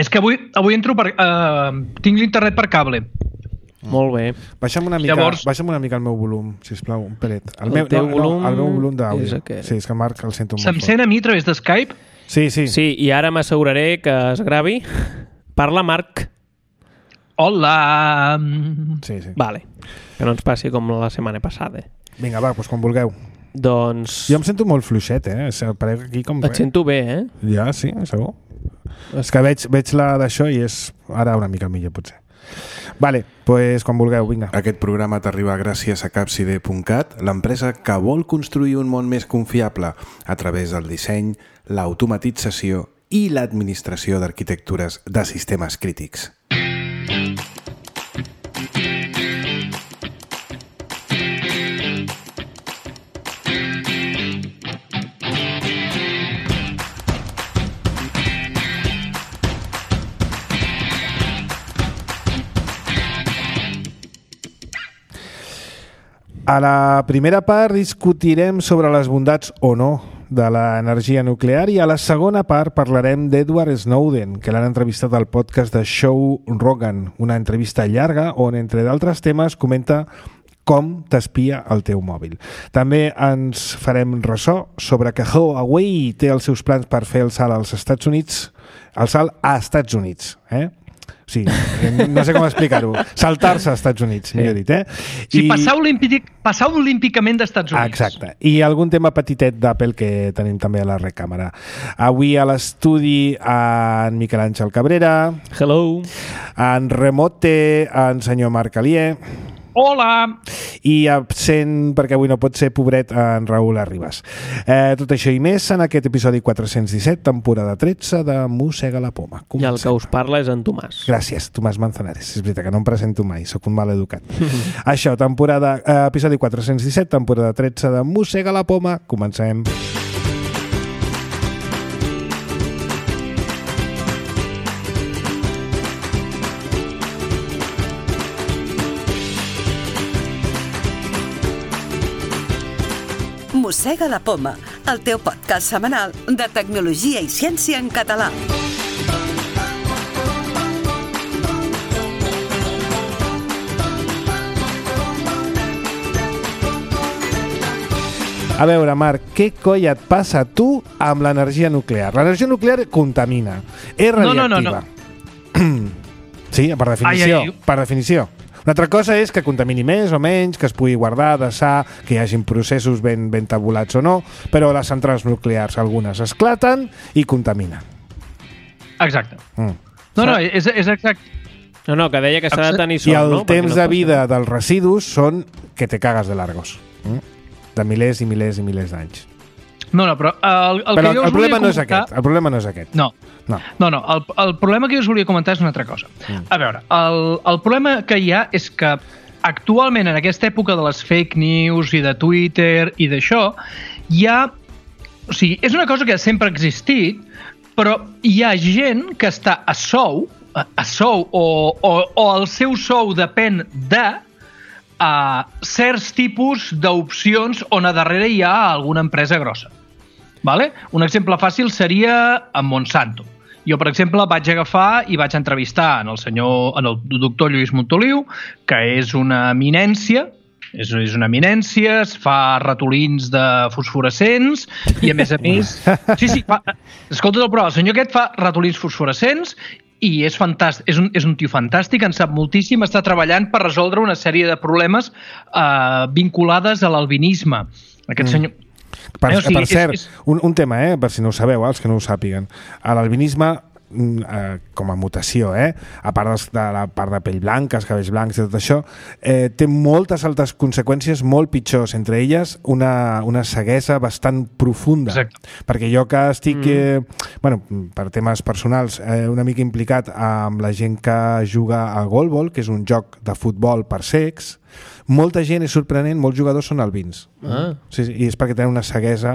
És que avui entro per... tinc l'internet per cable. Molt bé. Baixa'm una mica el meu volum, sisplau, un pelet. El meu volum d'àudio. Sí, és que Marc el sento molt fort. Se'm sent a mi a través de Skype? Sí. Sí, i ara m'asseguraré que es gravi. Parla, Marc. Hola! Sí. Vale, que no ens passi com la setmana passada. Vinga, va, doncs quan vulgueu. Doncs... Jo em sento molt fluixet, Parec aquí com... Et sento bé, Ja, sí, segur. És que veig la d'això i és ara una mica millor, potser. Vale, doncs quan vulgueu, vinga. Aquest programa t'arriba gràcies a Capcide.cat, l'empresa que vol construir un món més confiable a través del disseny, l'automatització i l'administració d'arquitectures de sistemes crítics. A la primera part discutirem sobre les bondats o no de l'energia nuclear i a la segona part parlarem d'Edward Snowden, que l'han entrevistat al podcast de Joe Rogan, una entrevista llarga on, entre d'altres temes, comenta com t'espia el teu mòbil. També ens farem ressò sobre que Huawei té els seus plans per fer el salt als Estats Units, el salt a Estats Units, Sí, no sé com explicar-ho. Saltar-se als Estats Units, millor dit, Sí, passar olímpicament d'Estats Units. Exacte. I algun tema petitet d'Apple que tenim també a la recàmera. Avui a l'estudi en Miquel Àngel Cabrera. Hello. En remote, en senyor Marc Alier. Hola! I absent, perquè avui no pot ser, pobret, en Raül Arribas. Tot això i més en aquest episodi 417, temporada 13 de Mossega la Poma. I el que us parla és en Tomàs. Gràcies, Tomàs Manzanares. És veritat que no em presento mai, sóc un mal educat. Això, episodi 417, temporada 13 de Mossega la Poma. Comencem. Mossega la Poma, el teu podcast setmanal de tecnologia i ciència en català. A veure, Marc, què coi et passa a tu amb l'energia nuclear? L'energia nuclear contamina, és radioactiva. No. Sí, per definició. Per definició. Una altra cosa és que contamini més o menys, que es pugui guardar, desar, que hi hagin processos ben tabulats o no, però les centrals nuclears, algunes esclaten i contaminen. Exacte. No, és exacte. No, que deia que s'ha de tenir sort, I el no? temps de vida dels residus són que te cagues de largos. De milers i milers i milers d'anys. No, però el problema no és aquest. El problema no és aquest. No. El problema que jo us volia comentar és una altra cosa. A veure, el problema que hi ha és que actualment, en aquesta època de les fake news i de Twitter i d'això, hi ha... O sigui, és una cosa que sempre ha existit, però hi ha gent que està a sou o el seu sou depèn de certs tipus d'opcions on a darrere hi ha alguna empresa grossa. Vale? Un exemple fàcil seria en Monsanto. Jo, per exemple, vaig agafar i vaig entrevistar en el doctor Lluís Montoliu, que és una eminència, es fa ratolins de fosforescents i, a més, escolta el programa, el senyor aquest fa ratolins fosforescents i és fantàstic, és un tio fantàstic, en sap moltíssim, està treballant per resoldre una sèrie de problemes vinculades a l'albinisme. Aquest senyor... Per cert, un tema, per si no ho sabeu, els que no ho sàpiguen. L'albinisme, com a mutació, a part de la part de pell blanca, els cabells blancs i tot això, té moltes altres conseqüències molt pitjors, entre elles una ceguesa bastant profunda. Exacte. Perquè jo que estic, per temes personals, una mica implicat amb la gent que juga a Goalball, que és un joc de futbol per cecs, molta gent, és sorprenent, molts jugadors són albins. Sí, i és perquè tenen una ceguesa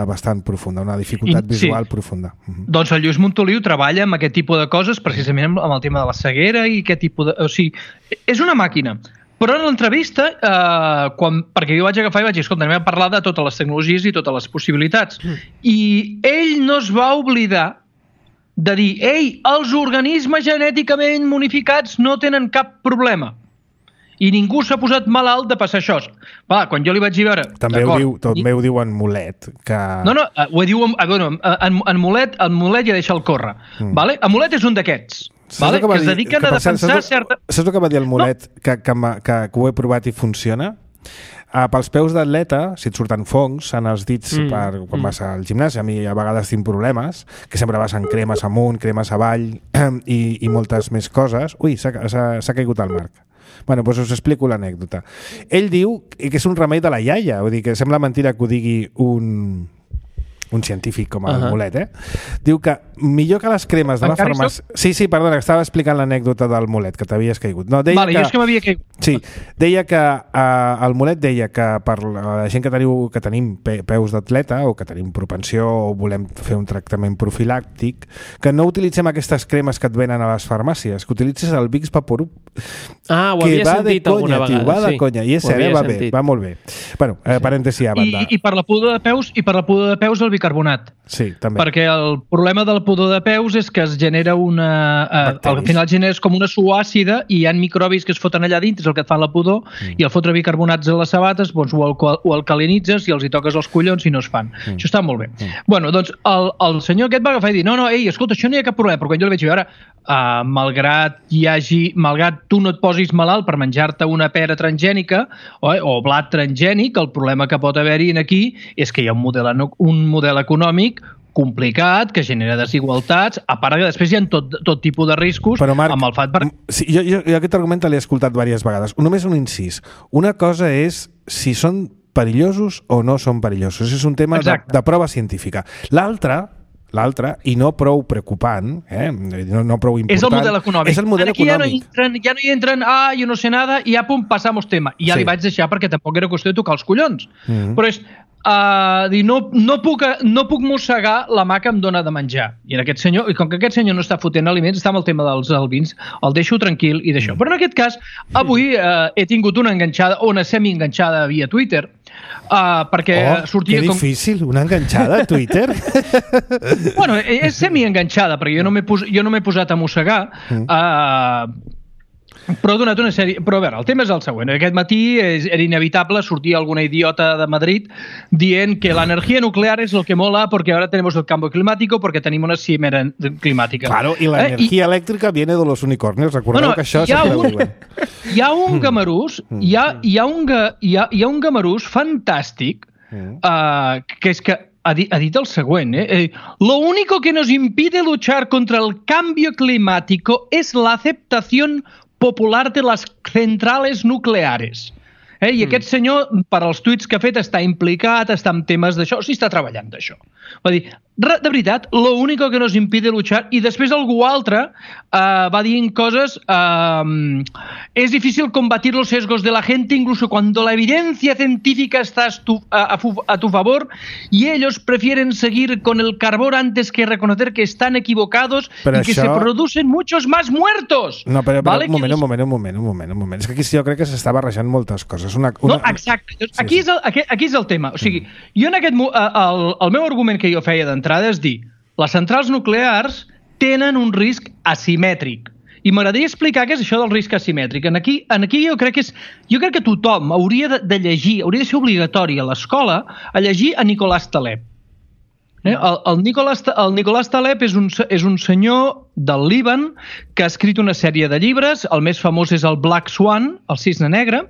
bastant profunda, una dificultat visual profunda. Doncs el Lluís Montoliu treballa amb aquest tipus de coses, precisament amb el tema de la ceguera i aquest tipus de... O sigui, és una màquina. Però en l'entrevista, perquè jo vaig agafar i vaig dir, escolta, anem a parlar de totes les tecnologies i totes les possibilitats. I ell no es va oblidar de dir, ei, els organismes genèticament modificats no tenen cap problema. I ningú s'ha posat malalt de passar això. Va, quan jo li vaig dir veure... També ho diu en Mulet, que... No, ho diu... En Mulet ja deixa el córrer. Vale? En Mulet és un d'aquests. Vale? Que es dediquen a defensar certa... Saps el que va dir el Mulet? No. Que ho he provat i funciona? Pels peus d'atleta, si et surten fongs en els dits quan vas al gimnàs, a mi a vegades tinc problemes, que sempre vas en cremes amunt, cremes avall i moltes més coses. Ui, s'ha caigut el Marc. Bueno, doncs us explico l'anècdota. Ell diu que és un remei de la iaia, vull dir que sembla mentira que ho digui un científic com el Mulet, Diu que millor que les cremes de la farmàcia... Sí, perdona, que estava explicant l'anècdota del Mulet, que t'havies caigut. No, deia jo és que m'havia caigut. Sí, deia que el Mulet deia que per la gent que tenim peus d'atleta o que tenim propensió o volem fer un tractament profilàctic, que no utilitzem aquestes cremes que et venen a les farmàcies, que utilitzis el Vicks Vaporub. Ho havia sentit alguna vegada. Va de conya, i és cert, va molt bé. Bueno, parèntesi a banda. I per la pudor de peus el bicarbonat. Sí, també. Perquè el problema del pudor de peus és que es genera al final generes com una suor àcida i hi ha microbis que es foten allà dintre, és el que et fan la pudor, i al fotre bicarbonats a les sabates doncs ho alcalinitzes i els hi toques els collons i no es fan. Això està molt bé. Bueno, doncs el senyor aquest va agafar i dir, no, ei, escolta, això no hi ha cap problema, però quan jo li vaig dir, ara, malgrat tu no et posis malalt per menjar-te una pera transgènica o blat transgènic, el problema que pot haver-hi aquí és que hi ha un model econòmic complicat, que genera desigualtats, a part que després hi ha tot tipus de riscos. Però, Marc, amb el FAT... Sí, jo aquest argument l'he escoltat diverses vegades. Només un incís. Una cosa és si són perillosos o no són perillosos. És un tema de prova científica. L'altre, i no prou preocupant, no prou important... És el model econòmic. És el model econòmic. Ja no hi entren, jo no sé nada, i ja, passamos tema. I ja li vaig deixar perquè tampoc era qüestió de tocar els collons. Però és... no puc mossegar la mà que em dona de menjar. I com que aquest senyor no està fotent aliments, està amb el tema dels albins, el deixo tranquil i d'això. Però en aquest cas, avui he tingut una enganxada, o una semi-enganxada via Twitter, perquè sortia... Que difícil, una enganxada a Twitter? Bueno, és semi-enganxada, perquè jo no m'he posat a mossegar, però ha donat una sèrie... Però a veure, el tema és el següent. Aquest matí era inevitable sortir alguna idiota de Madrid dient que la energía nuclear es lo que mola porque ahora tenemos el cambio climático porque tenim una cimera climàtica. Claro, y la energía elèctrica viene de los unicornios. Recordeu que això sempre ho diuen. Hi ha un gamarús, hi ha un gamarús fantàstic que és que ha dit el següent, lo único que nos impide luchar contra el cambio climático es la aceptación popular de las centrales nucleares. I aquest senyor, per als tuits que ha fet, està implicat, està en temes d'això, o sigui, està treballant d'això. Va dir, de veritat, lo único que nos impide luchar, i després algú altre va dient coses, es difícil combatir los sesgos de la gente incluso cuando la evidencia científica está a tu favor y ellos prefieren seguir con el carbón antes que reconocer que están equivocados y que se producen muchos más muertos. No, però un moment. És que aquí jo crec que s'està barrejant moltes coses. No, exacte. Aquí és el tema. O sigui, jo en el meu argument que jo feia d'entrada és dir, les centrals nuclears tenen un risc asimètric. I m'agradaria explicar què és això del risc asimètric. Aquí jo crec que tothom hauria de llegir, hauria de ser obligatori a l'escola a llegir a Nicolás Taleb. El Nicolás Taleb és un senyor del Líban que ha escrit una sèrie de llibres, el més famós és el Black Swan, el cisne negre,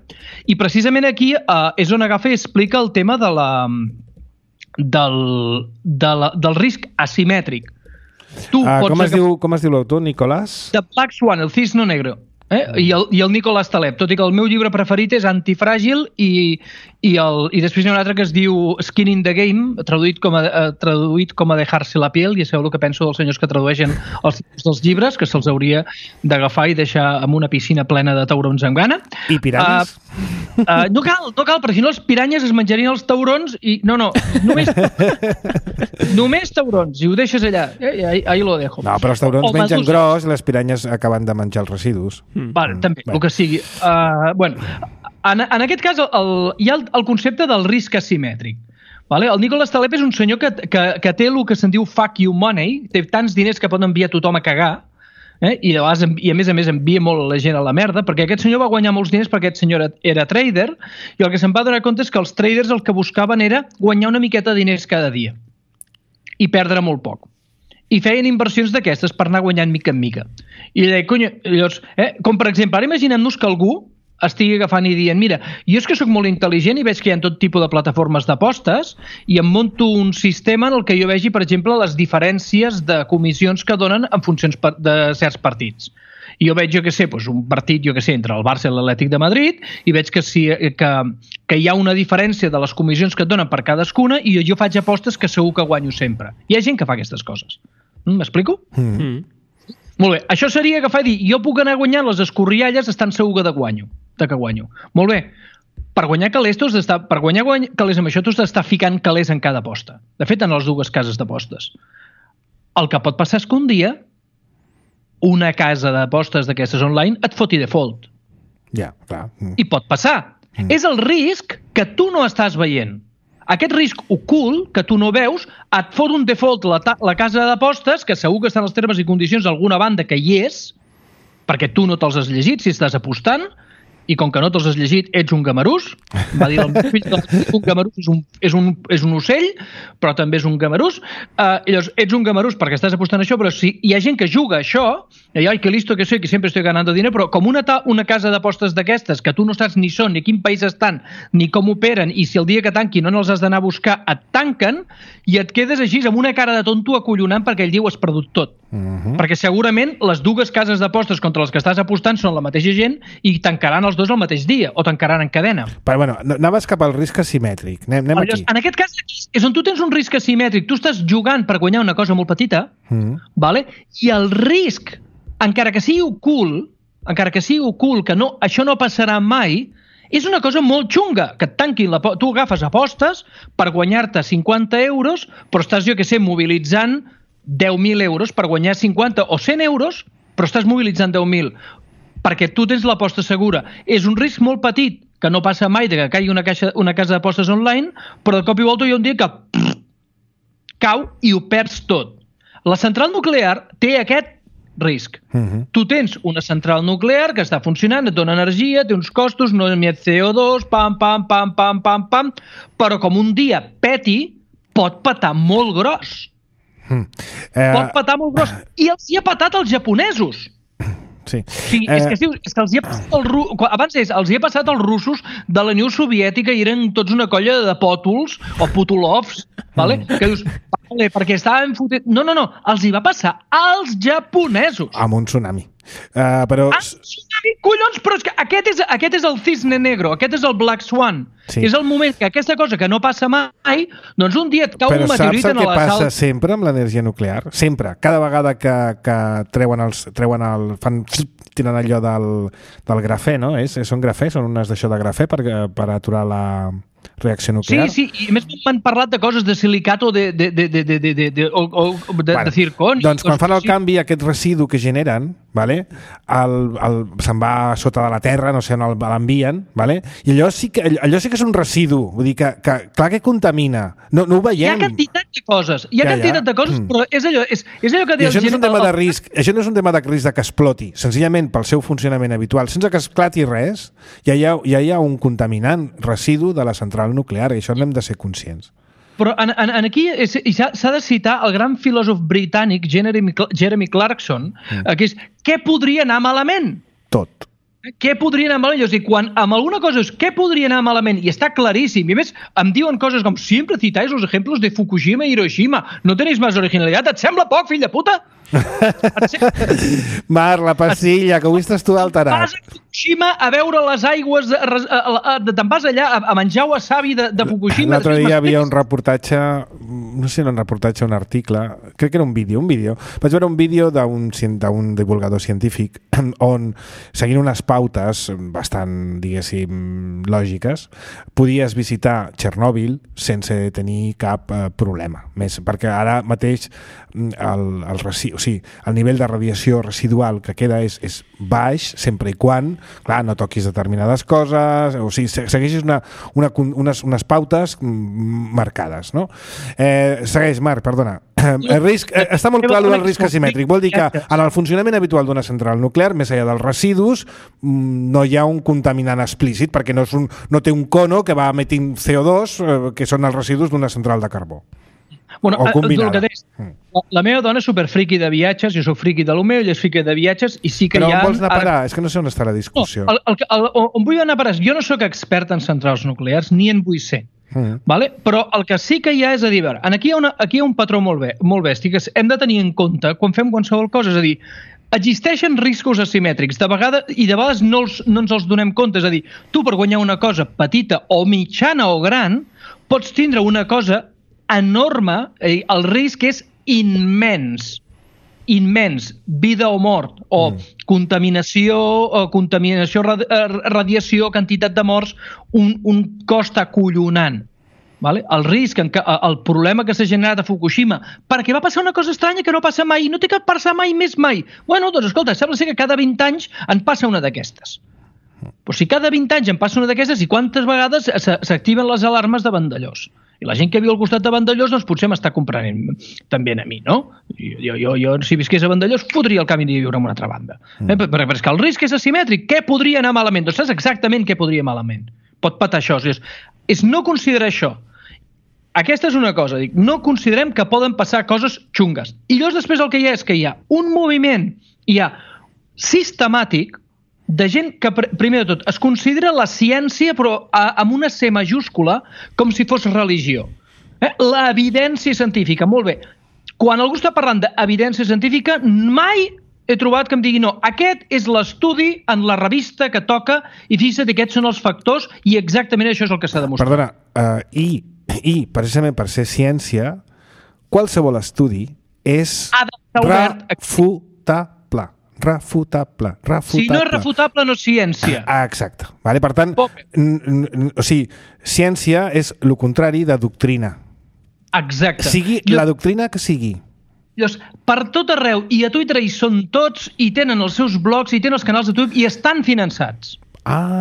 i precisament aquí és on agafa i explica el tema del risc asimètric. Com es diu l'autor, Nicolás? The Black Swan, el cisne negre. I el Nicolás Taleb, tot i que el meu llibre preferit és Antifràgil i després hi ha un altre que es diu Skin in the Game, traduït com a dejar-se la piel, i ja sabeu el que penso dels senyors que tradueixen els títols dels llibres, que se'ls hauria d'agafar i deixar en una piscina plena de taurons amb gana. I piranyes? No cal, perquè si no els piranyes es menjarien els taurons i... No, només taurons, i ho deixes allà. Ahí lo dejo. No, però els taurons mengen gros i les piranyes acaben de menjar els residus. Vale, també, el que sigui. En aquest cas hi ha el concepte del risc asimètric. Vale? El Nicholas Taleb és un senyor que té el que se'n diu fuck you money, té tants diners que pot enviar tothom a cagar, i a més envia molt la gent a la merda, perquè aquest senyor va guanyar molts diners perquè aquest senyor era trader, i el que se'n va donar compte és que els traders el que buscaven era guanyar una miqueta de diners cada dia i perdre molt poc. I feien inversions d'aquestes per anar guanyant mica en mica. I deia, cony, llavors, com per exemple, ara imaginem-nos que algú estigui agafant i dient, mira, jo és que sóc molt intel·ligent i veig que hi ha tot tipus de plataformes d'apostes i em monto un sistema en el que jo vegi, per exemple, les diferències de comissions que donen en funcions de certs partits. I jo veig, un partit, entre el Barça i l'Atlètic de Madrid i veig que hi ha una diferència de les comissions que et donen per cadascuna i jo faig apostes que segur que guanyo sempre. Hi ha gent que fa aquestes coses. M'explico? Molt bé, això seria agafar i dir, jo puc anar guanyant les escorrialles estant segur que guanyo. Molt bé, per guanyar calés amb això tu has d'estar ficant calés en cada aposta. De fet, en les dues cases d'apostes. El que pot passar és que un dia una casa d'apostes d'aquestes online et foti default. Ja, clar. I pot passar. És el risc que tu no estàs veient. Aquest risc ocult, que tu no veus, et fot un default la casa d'apostes, que segur que estan els termes i condicions d'alguna banda que hi és, perquè tu no te'ls has llegit si estàs apostant, i com que no te'ls has llegit, ets un gamarús. Va dir el meu fill que un gamarús és un ocell, però també és un gamarús. Llavors, ets un gamarús perquè estàs apostant això, però si hi ha gent que juga això, i ai, que listo que soy, que sempre estoy ganando dinero, però com una casa d'apostes d'aquestes, que tu no saps ni són, ni quin país estan, ni com operen, i si el dia que tanquin no els has d'anar a buscar, et tanquen, i et quedes així amb una cara de tonto acollonant perquè ell diu has perdut tot. Perquè segurament les dues cases d'apostes contra les que estàs apostant són la mateixa gent i tancaran els dos el mateix dia, o tancaran en cadena. Però bueno, anaves cap al risc asimètric. Anem aquí. En aquest cas és on tu tens un risc asimètric. Tu estàs jugant per guanyar una cosa molt petita, vale? I el risc, encara que sigui ocult, que això no passarà mai, és una cosa molt xunga, que et tanquin tu agafes apostes per guanyar-te 50 euros, però estàs, mobilitzant 10.000 euros per guanyar 50 o 100 euros, però estàs mobilitzant 10.000 perquè tu tens l'aposta segura. És un risc molt petit, que no passa mai de que caigui una casa d'apostes online, però de cop i volta hi ha un dia que cau i ho perds tot. La central nuclear té aquest risc. Tu tens una central nuclear que està funcionant, et dona energia, té uns costos, no emet CO2, pam, però com un dia peti, pot petar molt gros. Pot petar molt gros. I els hi ha petat als japonesos. Sí. És que els hi ha passat als russos de la Unió Soviètica i eren tots una colla de pòtols o putolovs, vale? Que dius, vale, perquè estaven fotent... No, els hi va passar als japonesos. Amb un tsunami. Però... tsunami, collons, però és que aquest és el cisne negro, aquest és el Black Swan. Sí. És el moment que aquesta cosa que no passa mai, doncs un dia et cau un meteorit en la sal. Però saps el que passa sempre amb l'energia nuclear? Sempre. Cada vegada que tiren allò del grafè, no? Són grafè? Són unes d'això de grafè per aturar la reacció nuclear? Sí, i a més m'han parlat de coses de silicat o de zirconi. Doncs quan fan el canvi, aquest residu que generen, vale? Se'n va sota de la terra, no sé on l'envien, vale? I allò sí que és un residu, vull dir que clar que contamina, no ho veiem. Hi ha quantitat de coses, però és allò que això no és un tema de risc, això no és un tema de risc que exploti, senzillament pel seu funcionament habitual, sense que esclati res, ja hi ha un contaminant residu de la central nuclear, i això n'hem de ser conscients. Però aquí s'ha de citar el gran filòsof britànic Jeremy Clarkson, que és, què podria anar malament? Tot. Què podria anar malament? I quan amb alguna cosa és què podria anar malament, i està claríssim, i a més em diuen coses com sempre citáis los ejemplos de Fukushima i Hiroshima, no tenéis más originalitat, et sembla poc, fill de puta? Marc, la pastilla, que avui estàs tu alterat. Vas a Fukushima a veure les aigües, te'n vas allà a menjar wasabi de Fukushima. L'altre dia hi havia un reportatge, no sé si era un reportatge o un article, crec que era un vídeo. Vaig veure un vídeo d'un divulgador científic on, seguint unes pautes bastant, diguéssim, lògiques, podies visitar Txernòbil sense tenir cap problema. Més, perquè ara mateix el nivell de radiació residual que queda és baix, sempre i quan, clar, no toquis determinades coses, o sigui, segueixis unes pautes marcades, no? Segueix, Marc, perdona. El risc, està molt clar el risc asimètric. Vol dir que en el funcionament habitual d'una central nuclear, més enllà dels residus, no hi ha un contaminant explícit, perquè no té un cono que va emetint CO2, que són els residus d'una central de carbó. Bueno, la meva dona és superfriqui de viatges, jo soc friqui de lo meu, ella és friqui de viatges, i sí que Però hi ha... on vols anar a parar? És que no sé on està la discussió. On vull anar a parar? Jo no sóc expert en centrals nuclears, ni en vull ser. Vale? Però el que sí que hi ha és a dir, aquí hi ha un patró molt bèstic que hem de tenir en compte quan fem qualsevol cosa, és a dir, existeixen riscos asimètrics, de vegades no ens els donem compte, és a dir, tu per guanyar una cosa petita o mitjana o gran, pots tindre una cosa enorme, el risc és immens, vida o mort, o contaminació, radiació, quantitat de morts, un cost acollonant. Vale? El risc, el problema que s'ha generat a Fukushima, perquè va passar una cosa estranya que no passa mai, no té que passar mai més mai. Bueno, doncs escolta, sembla ser que cada 20 anys en passa una d'aquestes. Però si cada 20 anys en passa una d'aquestes, i quantes vegades s'activen les alarmes de Vandellós? I la gent que viu al costat de Vandellós, doncs potser m'està comprenent també a mi, no? Jo si visqués a Vandellós, fotria el camí de viure en una altra banda. Però és que el risc és asimètric. Què podria anar malament? Doncs saps exactament què podria malament. Pot patar això. És no considerar això. Aquesta és una cosa. No considerem que poden passar coses xungues. I llavors després el que hi ha és que hi ha un moviment, hi ha sistemàtic, de gent que, primer de tot, es considera la ciència, però amb una C majúscula, com si fos religió. L'evidència científica, molt bé. Quan algú està parlant d'evidència científica, mai he trobat que em digui no, aquest és l'estudi en la revista que toca i fixa't, aquests són els factors i exactament això és el que s'ha demostrat. Perdona, i precisament per ser ciència, qualsevol estudi és refutable. Si no és refutable, no és ciència. Exacte. Vale? Per tant, o sigui, ciència és el contrari de doctrina. Exacte. Sigui la doctrina que sigui. Llavors, per tot arreu, i a Twitter hi són tots, i tenen els seus blogs, i tenen els canals de YouTube, i estan finançats.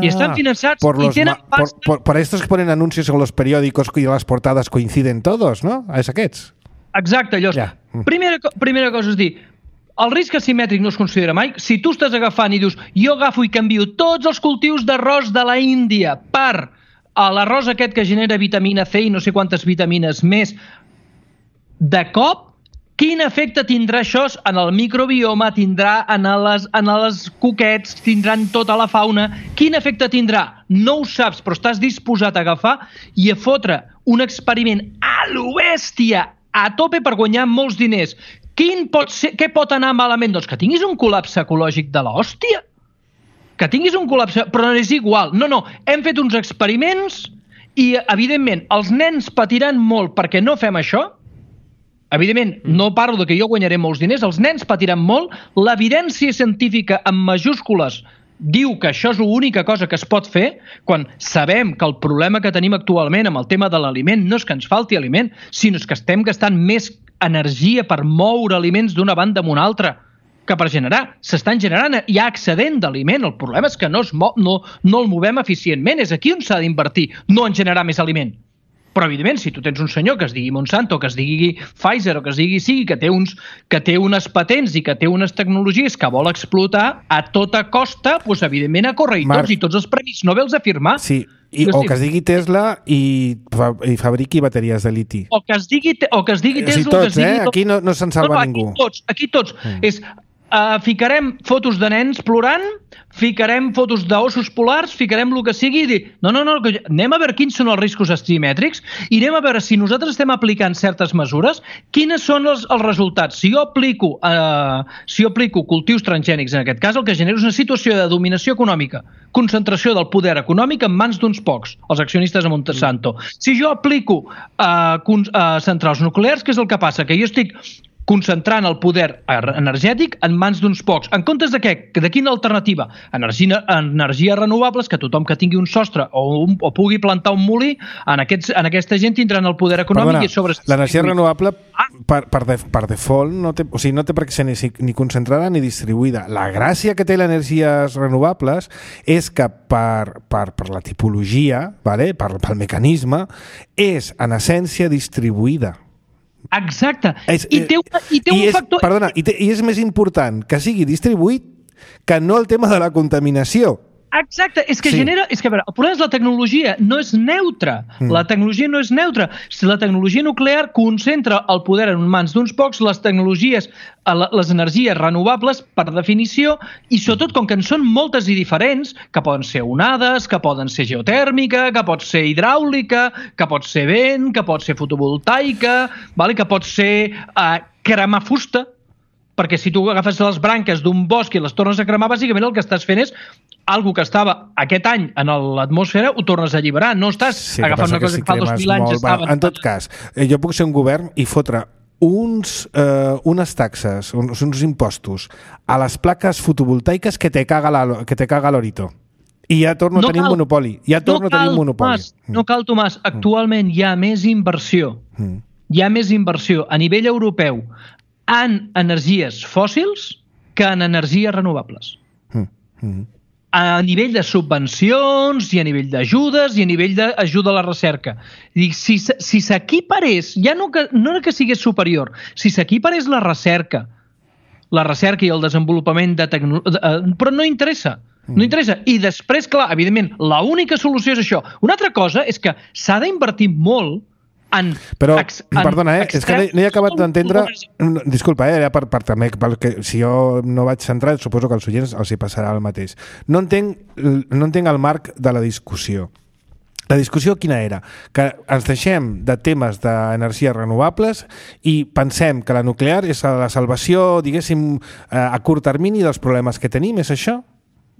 Y están financiados y tienen pasta. Por estos que ponen anuncios en los periódicos y las portadas coinciden todos, no? És aquests. Exacte, llavors, primera cosa és dir, el risc asimètric no es considera mai. Si tu estàs agafant i dius, jo agafo i canvio tots els cultius d'arròs de la Índia per l'arròs aquest que genera vitamina C i no sé quantes vitamines més, de cop, quin efecte tindrà això en el microbioma, tindrà en les coquets, tindrà en tota la fauna? Quin efecte tindrà? No ho saps, però estàs disposat a agafar i a fotre un experiment a lo bèstia, a tope per guanyar molts diners. Què pot anar malament? Doncs que tinguis un col·lapse ecològic de l'hòstia. Que tinguis un col·lapse, però no és igual. No, hem fet uns experiments i, evidentment, els nens patiran molt perquè no fem això. Evidentment, no parlo de que jo guanyaré molts diners, els nens patiran molt, l'evidència científica en majúscules diu que això és l'única cosa que es pot fer quan sabem que el problema que tenim actualment amb el tema de l'aliment no és que ens falti aliment, sinó que estem gastant més energia per moure aliments d'una banda a una altra que per generar. S'estan generant, hi ha excedent d'aliment, el problema és que no el movem eficientment, és aquí on s'ha d'invertir, no en generar més aliment. Però, evidentment, si tu tens un senyor que es digui Monsanto, que es digui Pfizer o que es digui sigui, que té unes patents i que té unes tecnologies que vol explotar a tota costa, doncs, evidentment, a córrer-hi tots i tots els premis Nobel a firmar. Sí, o que es digui Tesla i fabriqui bateries de liti. O que es digui Tesla... Sí, tots, aquí no se'n salva ningú. Aquí tots. Ficarem fotos de nens plorant, ficarem fotos d'ossos polars, ficarem el que sigui i dir, no, anem a veure quins són els riscos asimètrics i anem a veure si nosaltres estem aplicant certes mesures, quines són els resultats. Si jo aplico cultius transgènics, en aquest cas, el que genera és una situació de dominació econòmica, concentració del poder econòmic en mans d'uns pocs, els accionistes de Monsanto. Si jo aplico centrals nuclears, què és el que passa? Que jo estic concentrant el poder energètic en mans d'uns pocs. En comptes de què? De quina alternativa? Energies renovables, que tothom que tingui un sostre o pugui plantar un molí, en aquesta gent tindran el poder econòmic. Perdona, l'energia renovable per default no té per què ser ni concentrada ni distribuïda. La gràcia que té les energies renovables és que per la tipologia, vale? Pel mecanisme, és en essència distribuïda. Exacte. I té un factor... Perdona, i és més important que sigui distribuït que no el tema de la contaminació. Exacte, és que genera... És que, a veure, el problema és la tecnologia no és neutra. La tecnologia no és neutra. Si la tecnologia nuclear concentra el poder en mans d'uns pocs, les tecnologies, les energies renovables, per definició, i sobretot com que en són moltes i diferents, que poden ser onades, que poden ser geotèrmica, que pot ser hidràulica, que pot ser vent, que pot ser fotovoltaica, que pot ser cremar fusta, perquè si tu agafes les branques d'un bosc i les tornes a cremar, bàsicament el que estàs fent és algo que estava aquest any en l'atmosfera, ho tornes a alliberar. No estàs agafant una cosa que fa 2.000 anys estava... En tot cas, jo puc ser un govern i fotre unes taxes, uns impostos a les plaques fotovoltaiques que te caga l'orito. I ja torno a tenir un monopoli. No cal, Tomàs. Actualment hi ha més inversió. Hi ha més inversió a nivell europeu en energies fòssils que en energies renovables. A nivell de subvencions i a nivell d'ajudes i a nivell d'ajuda a la recerca. Si s'equiparés, ja no que sigués superior, si s'equiparés la recerca i el desenvolupament de tecnologia... Però no interessa. No interessa. I després, clar, evidentment, l'única solució és això. Una altra cosa és que s'ha d'invertir molt però, perdona, és que no he acabat d'entendre... Disculpa, era per també, perquè si jo no vaig centrat, suposo que als oients els hi passarà el mateix. No entenc el marc de la discussió. La discussió quina era? Que ens deixem de temes d'energies renovables i pensem que la nuclear és la salvació, diguéssim, a curt termini dels problemes que tenim, és això?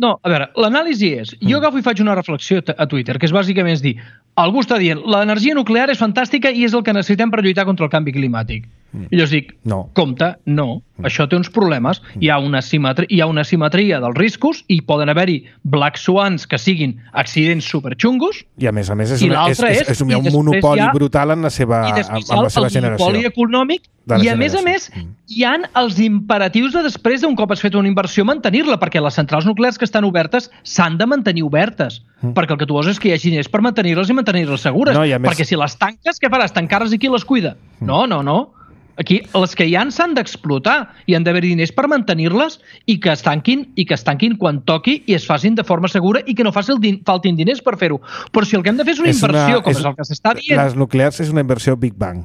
No, a veure, l'anàlisi és... Jo agafo i faig una reflexió a Twitter, que és bàsicament dir, algú està dient, l'energia nuclear és fantàstica i és el que necessitem per lluitar contra el canvi climàtic. I llavors dic, compte, no, això té uns problemes, hi ha una simetria dels riscos i poden haver-hi black swans que siguin accidents superxungos. I a més és un monopoli brutal en la seva generació. El monopoli econòmic i a més hi ha els imperatius de després d'un cop has fet una inversió mantenir-la, perquè les centrals nuclears que estan obertes s'han de mantenir obertes, perquè el que tu vols és que hi hagi diners per mantenir-les i mantenir-les segures, perquè si les tanques, què faràs? Tancar-les i qui les cuida? No. Aquí, les que hi ha s'han d'explotar i han d'haver diners per mantenir-les i que es tanquin quan toqui i es facin de forma segura i que no faltin diners per fer-ho. Però si el que hem de fer és una inversió, com és el que s'està dient... Les nuclears és una inversió Big Bang.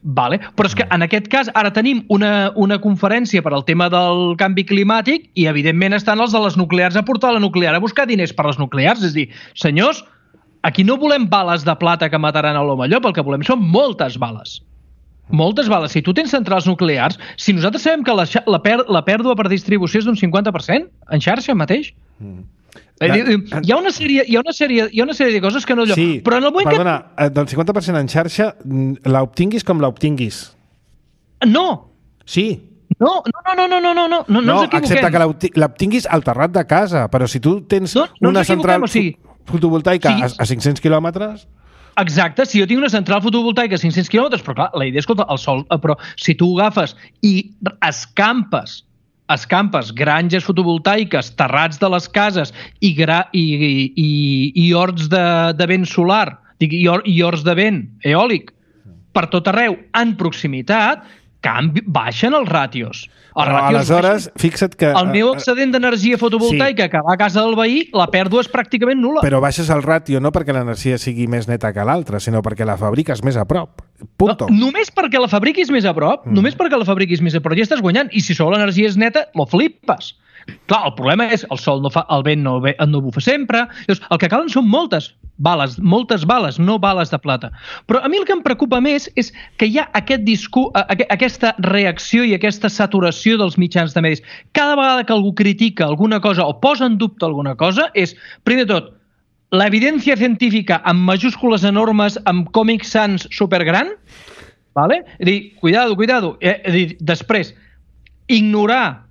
Vale, però és que en aquest cas ara tenim una conferència per al tema del canvi climàtic i evidentment estan els de les nuclears a portar la nuclear a buscar diners per les nuclears. És a dir, senyors, aquí no volem bales de plata que mataran a l'home llop, el que volem són moltes bales. Moltes bales. Si tu tens centrals nuclears, si nosaltres sabem que la pèrdua per distribució és d'un 50% en xarxa mateix, hi ha una sèrie de coses que no... Sí, però en el moment perdona, del 50% en xarxa, l'obtinguis com l'obtinguis. No! Sí. No ens equivoquem. Excepte que l'obtinguis al terrat de casa, però si tu tens una central fotovoltaica a 500 quilòmetres... Exacte, si jo tinc una central fotovoltaica a 500 quilòmetres, però clar, la idea és, escolta, el sol, però si tu agafes i escampes granges fotovoltaiques, terrats de les cases i horts de vent solar, i horts de vent eòlic per tot arreu en proximitat, baixen els ràtios. Aleshores, fixa't que... El meu excedent d'energia fotovoltaica que va a casa del veí, la pèrdua és pràcticament nul·la. Però baixes el ràtio no perquè l'energia sigui més neta que l'altra, sinó perquè la fabriques més a prop. Punto. No, només perquè la fabriquis més a prop, ja estàs guanyant. I si sobre l'energia és neta, lo flipes. Clar, el problema és el vent no bufa sempre. Llavors, el que calen són moltes bales, no bales de plata. Però a mi el que em preocupa més és que hi ha aquesta reacció i aquesta saturació dels mitjans de medis. Cada vegada que algú critica alguna cosa o posa en dubte alguna cosa és, primer de tot, l'evidència científica amb majúscules enormes, amb Comic Sans supergran, Vale? És dir, cuidado. És dir, després, ignorar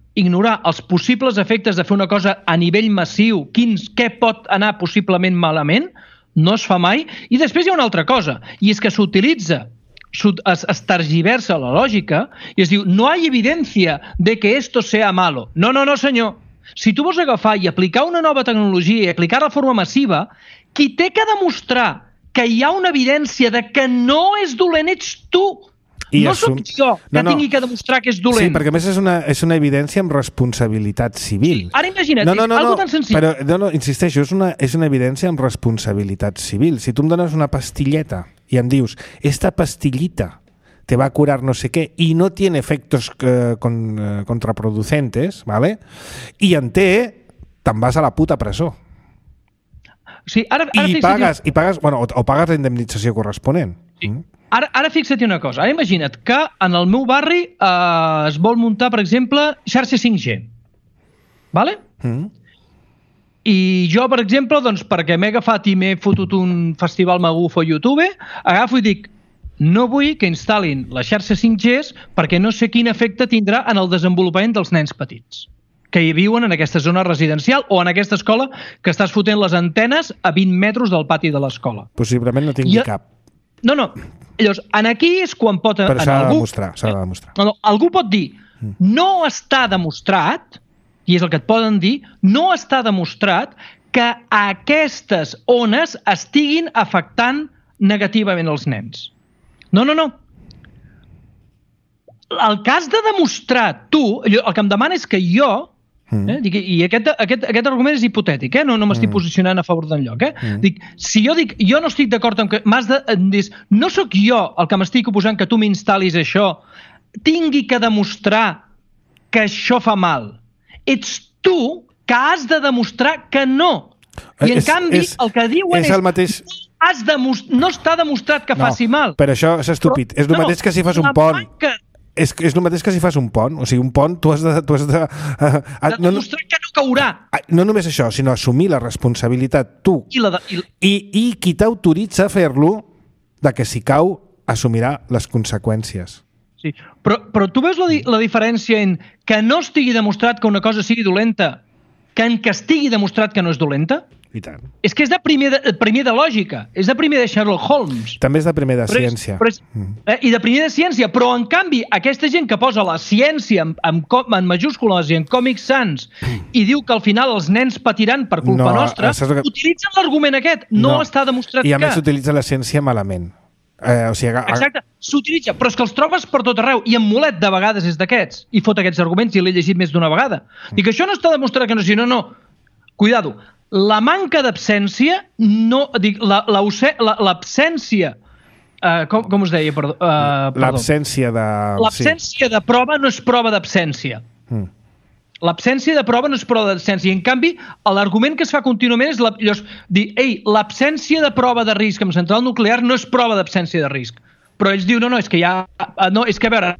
els possibles efectes de fer una cosa a nivell massiu, què pot anar possiblement malament, no es fa mai. I després hi ha una altra cosa, i és que s'utilitza, es tergiversa la lògica i es diu, no hay evidencia de que esto sea malo. No, senyor. Si tu vols agafar i aplicar una nova tecnologia i aplicar-la de forma massiva, qui té que demostrar que hi ha una evidència de que no és dolent ets tu. No soc jo que tingui que demostrar que és dolent. Sí, perquè a més és una evidència amb responsabilitat civil. Sí, ara imagina't, algo tan senzill. Però, insisteixo, és una evidència amb responsabilitat civil. Si tu em dones una pastilleta i em dius, esta pastillita te va a curar no sé qué y no tiene efectos contraproducentes, ¿vale? I en té, te'n vas a la puta presó. Sí, ara I pagues, bueno, o pagues la indemnització corresponent. Sí. Ara fixa't una cosa. Ara imagina't que en el meu barri es vol muntar, per exemple, xarxa 5G. Vale? I jo, per exemple, doncs, perquè m'he agafat i m'he fotut un festival magufo a YouTube, agafo i dic, no vull que instal·lin la xarxa 5G perquè no sé quin efecte tindrà en el desenvolupament dels nens petits que hi viuen en aquesta zona residencial o en aquesta escola que estàs fotent les antenes a 20 metres del pati de l'escola. Possiblement no tingui cap. No. Llavors, aquí és quan pot... Però s'ha de demostrar. Algú pot dir, no està demostrat, i és el que et poden dir, no està demostrat que aquestes ones estiguin afectant negativament els nens. No. El que has de demostrar tu, el que em demana és que jo, i aquest argument és hipotètic, no m'estic posicionant a favor d'enlloc, si jo dic, jo no estic d'acord amb que m'has de dir, no sóc jo el que m'estic oposant que tu m'instal·lis això, tingui que demostrar que això fa mal. Ets tu que has de demostrar que no. I en canvi, el que diuen és no està demostrat que faci mal. Però això és estúpid. És el mateix que si fas un pont. És el mateix que si fas un pont. O sigui, un pont tu has de demostrar que no caurà. No només això, sinó assumir la responsabilitat tu. I qui t'autoritza a fer-lo, de que si cau, assumirà les conseqüències. Sí, però tu veus la diferència en que no estigui demostrat que una cosa sigui dolenta que en que estigui demostrat que no és dolenta? I tant. És que és de primer de lògica, és de primer de Sherlock Holmes. També és de primer de ciència. I de primer de ciència, però en canvi aquesta gent que posa la ciència en majúscules i en Comic Sans i diu que al final els nens patiran per culpa nostra, utilitzen l'argument aquest. No està demostrat que... I a més s'utilitza la ciència malament. Exacte, s'utilitza, però és que els trobes per tot arreu i en Molet de vegades és d'aquests i fot aquests arguments i l'he llegit més d'una vegada. Dic, això no està demostrat que no, sinó no. Cuidado, la manca d'absència, l'absència, com us deia, perdó? L'absència de... L'absència de prova no és prova d'absència. L'absència de prova no és prova d'absència. I en canvi, l'argument que es fa contínuament és dir, l'absència de prova de risc en central nuclear no és prova d'absència de risc. Però ells diuen, no, és que ja... No, és que, a veure,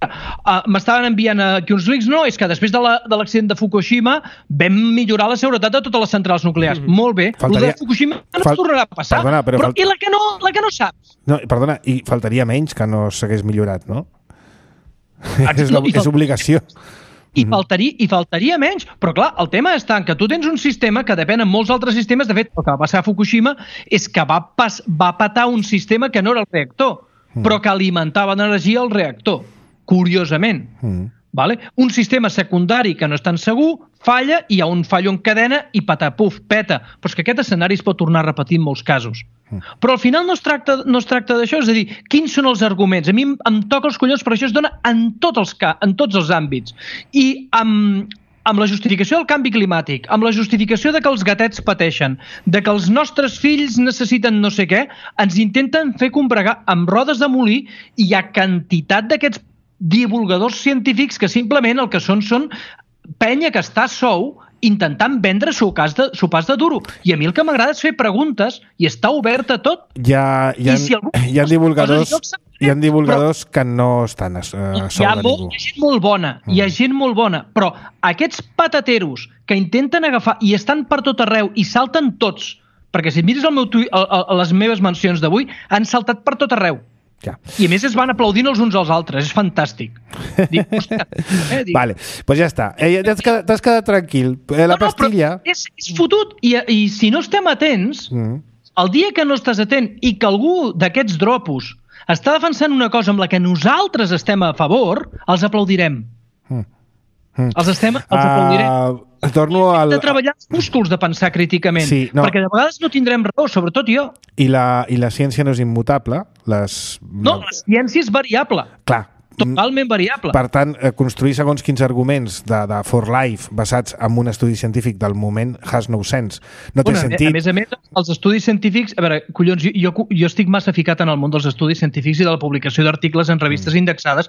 m'estaven enviant aquí uns links, no, és que després de l'accident de Fukushima vam millorar la seguretat de totes les centrals nuclears. Molt bé, el de Fukushima no es tornarà a passar. Però i la que no saps? No, perdona, i faltaria menys que no s'hagués millorat, no? És obligació. I faltaria menys. Però clar, el tema està en que tu tens un sistema que depèn en molts altres sistemes. De fet, el que va passar a Fukushima és que va petar un sistema que no era el reactor, però que alimentava d'energia el reactor, curiosament. Vale? Un sistema secundari que no és tan segur, falla, i hi ha un fallo en cadena i patapuf, peta. Però és que aquest escenari es pot tornar a repetir en molts casos. Però al final no es tracta d'això, és a dir, quins són els arguments? A mi em toca els collons, però això es dona en tots els àmbits. I amb la justificació del canvi climàtic, amb la justificació de que els gatets pateixen, de que els nostres fills necessiten no sé què, ens intenten fer combregar amb rodes de molí, i hi ha quantitat d'aquests divulgadors científics que simplement el que són penya que està sou intentant vendre sopars de duro. I a mi el que m'agrada és fer preguntes i està obert a tot. Hi ha divulgadors que no estan a sobre ningú. Hi ha gent molt bona, hi ha gent molt bona, però aquests patateros que intenten agafar i estan per tot arreu i salten tots, perquè si mires el meu tuit, les meves mencions d'avui, han saltat per tot arreu. Ja. I a més es van aplaudint els uns als altres, és fantàstic. Dic, hòstia, Vale, doncs ja està. T'has quedat tranquil. La pastilla... És fotut, i si no estem atents, el dia que no estàs atent i que algú d'aquests dropos està defensant una cosa amb la que nosaltres estem a favor, els aplaudirem. Els aplaudirem. Torno Hem de treballar els músculs de pensar críticament, perquè de vegades no tindrem raó, sobretot jo. I la ciència no és immutable? No, la ciència és variable. Clar. Totalment variable. Per tant, construir segons quins arguments de For Life basats en un estudi científic del moment has no sense. No té sentit. A més, els estudis científics... A veure, collons, jo estic massa ficat en el món dels estudis científics i de la publicació d'articles en revistes indexades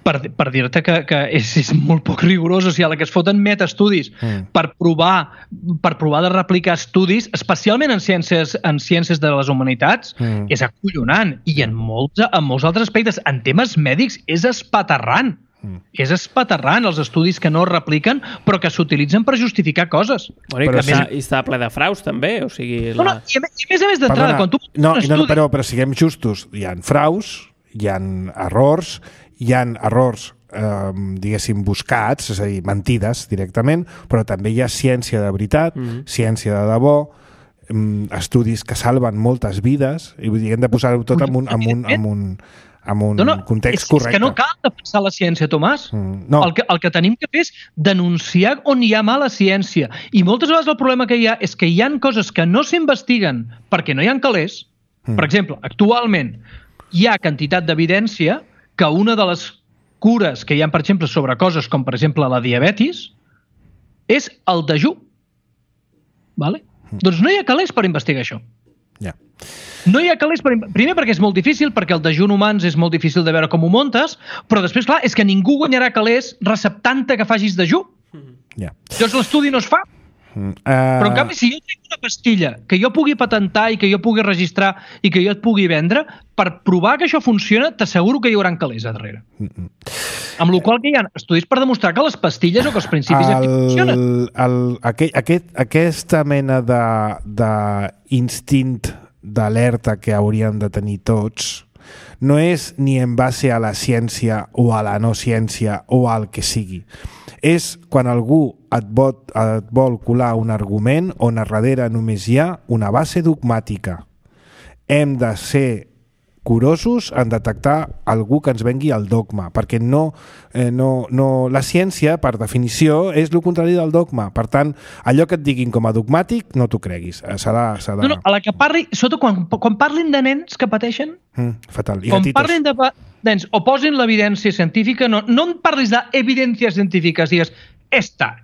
per dir-te que és molt poc rigorós. O sigui, a la que es foten metaestudis per provar de replicar estudis, especialment en ciències de les humanitats, és acollonant. I en molts altres aspectes, en temes mèdics, és espaterrant. És espaterrant els estudis que no es repliquen però que s'utilitzen per justificar coses. Bueno, i està ple de fraus també, o sigui... I a més d'entrada, quan tu... Però siguem justos, hi ha fraus, hi ha errors, diguéssim, buscats, és a dir, mentides directament, però també hi ha ciència de veritat, ciència de debò, estudis que salven moltes vides, i vull dir, hem de posar-ho tot en un context correcte. És que no cal defensar la ciència, Tomàs. El que tenim que fer és denunciar on hi ha mala ciència. I moltes vegades el problema que hi ha és que hi ha coses que no s'investiguen perquè no hi ha calés. Per exemple, actualment hi ha quantitat d'evidència que una de les cures que hi ha, per exemple, sobre coses com, per exemple, la diabetis, és el dejú. Vale? Doncs no hi ha calés per investigar això. Ja. No hi ha calés primer perquè és molt difícil, perquè el dejú en humans és molt difícil de veure com ho montes, però després, clar, és que ningú guanyarà calés receptant-te que facis dejú. Llavors l'estudi no es fa. Però en canvi, si jo tinc una pastilla que jo pugui patentar i que jo pugui registrar i que jo et pugui vendre, per provar que això funciona, t'asseguro que hi haurà calés a darrere. Amb la qual cosa hi ha estudis per demostrar que les pastilles o que els principis actius funcionen. Aquesta mena d'instint d'alerta que hauríem de tenir tots no és ni en base a la ciència o a la no ciència o al que sigui. És quan algú et vol colar un argument on a darrere només hi ha una base dogmàtica. Hem de ser curosos en detectar algú que ens vengui el dogma, perquè la ciència, per definició, és el contrari del dogma. Per tant, allò que et diguin com a dogmàtic, no t'ho creguis. No, a la que parli, sobretot quan parlin de nens que pateixen, fatal. Quan parlin de nens o posin l'evidència científica, no em parlis d'evidències científiques, digues esta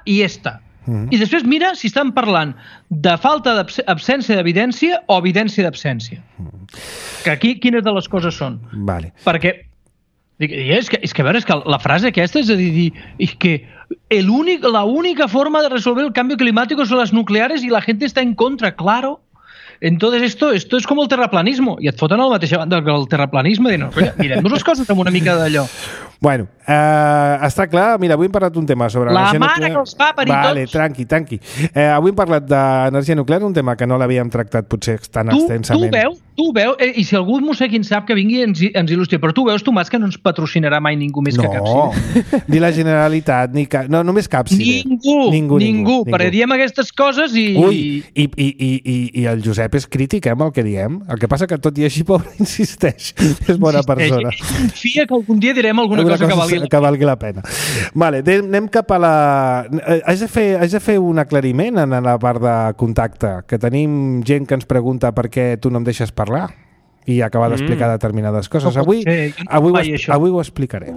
i esta. I després mira si estan parlant de falta d'absència d'evidència o evidència d'absència. Que aquí quines de les coses són? Vale. Perquè és que la frase aquesta és a dir, és que la única forma de resolver el cambio climático son las nucleares y la gente está en contra, claro. Entonces esto es como el terraplanismo. I et foten a la mateixa banda que el terraplanisme dient, mirem-nos les coses amb una mica d'allò. Bueno, està clar. Mira, avui hem parlat d'un tema sobre la mare que els fa parir tots. Vale, tranqui. Avui hem parlat d'energia nuclear, un tema que no l'havíem tractat potser tan extensament. Tu veus, i si algú no sé quin sap que vingui ens il·lustri, però tu veus, Tomàs, que no ens patrocinarà mai ningú més que Capsi. No, ni la Generalitat, no, només Capsi. Ningú. Perquè diem aquestes coses i... Ui, i el Josep és crític, amb el que diem. El que passa que tot i així, pobre, insisteix. És bona persona. Confia que algun dia direm alguna cosa que valgui la pena. Vale, anem cap a la... Haig de fer un aclariment en la part de contacte, que tenim gent que ens pregunta per què tu no em deixes parlar i acabar d'explicar determinades coses. Avui ho explicaré.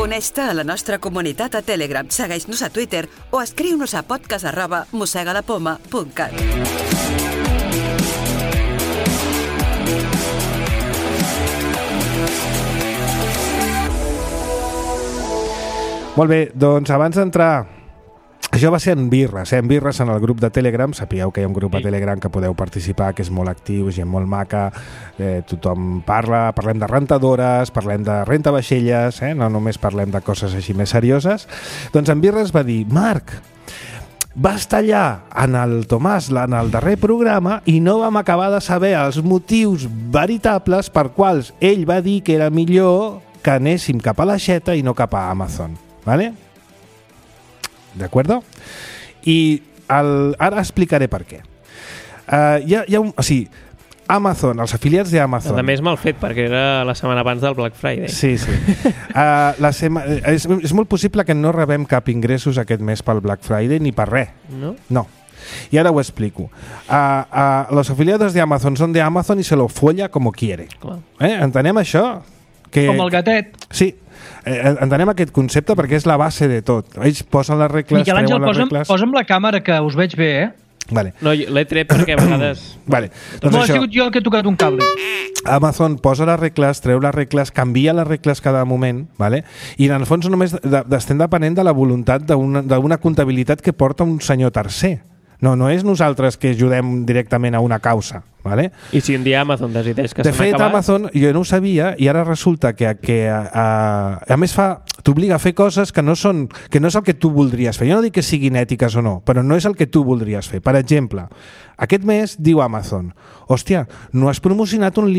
Uneix-te a la nostra comunitat a Telegram, segueix-nos a Twitter o escriu-nos a podcast@mossegalapoma.cat. Molt bé, doncs abans d'entrar Això va ser en Birres, en Birres en el grup de Telegram. Sapigueu que hi ha un grup de Telegram que podeu participar, que és molt actiu, gent molt maca, tothom parlem de rentadores, parlem de renta vaixelles, no només parlem de coses així més serioses. Doncs en Birres va dir: Marc, vas tallar en el Tomàs en el darrer programa i no vam acabar de saber els motius veritables per quals ell va dir que era millor que anéssim cap a l'Aixeta i no cap a Amazon, ¿vale? ¿De acuerdo? I ara explicaré per què. Amazon, els afiliats d'Amazon... A més, mal fet, perquè era la setmana abans del Black Friday. Sí. És molt possible que no rebem cap ingressos aquest mes pel Black Friday ni per res. No. Y ahora os explico. Los afiliados de Amazon son de Amazon y se lo folla como quiere. Entenem això? Com el gatet. Sí. Entenem aquest concepte perquè és la base de tot. Ells posen les regles, Miquel Àngel, posa'm la càmera, que us veig bé, Vale. No, l'he tret perquè a vegades... Vale. Doncs ha sigut jo el que he tocat un cable. Amazon posa les regles, treu les regles, canvia les regles cada moment, vale? I en el fons només estem depenent de la voluntat d'una comptabilitat que porta un senyor tercer. No és nosaltres que ajudem directament a una causa, ¿vale? I si un dia Amazon decideix que de s'han fet, acabat... Amazon, jo no ho sabia, i ara resulta que a més t'obliga a fer coses que no és el que tu voldries fer. Jo no dic que siguin ètiques o no, però no és el que tu voldries fer. Per exemple, aquest mes diu Amazon: hòstia, no has promocionat un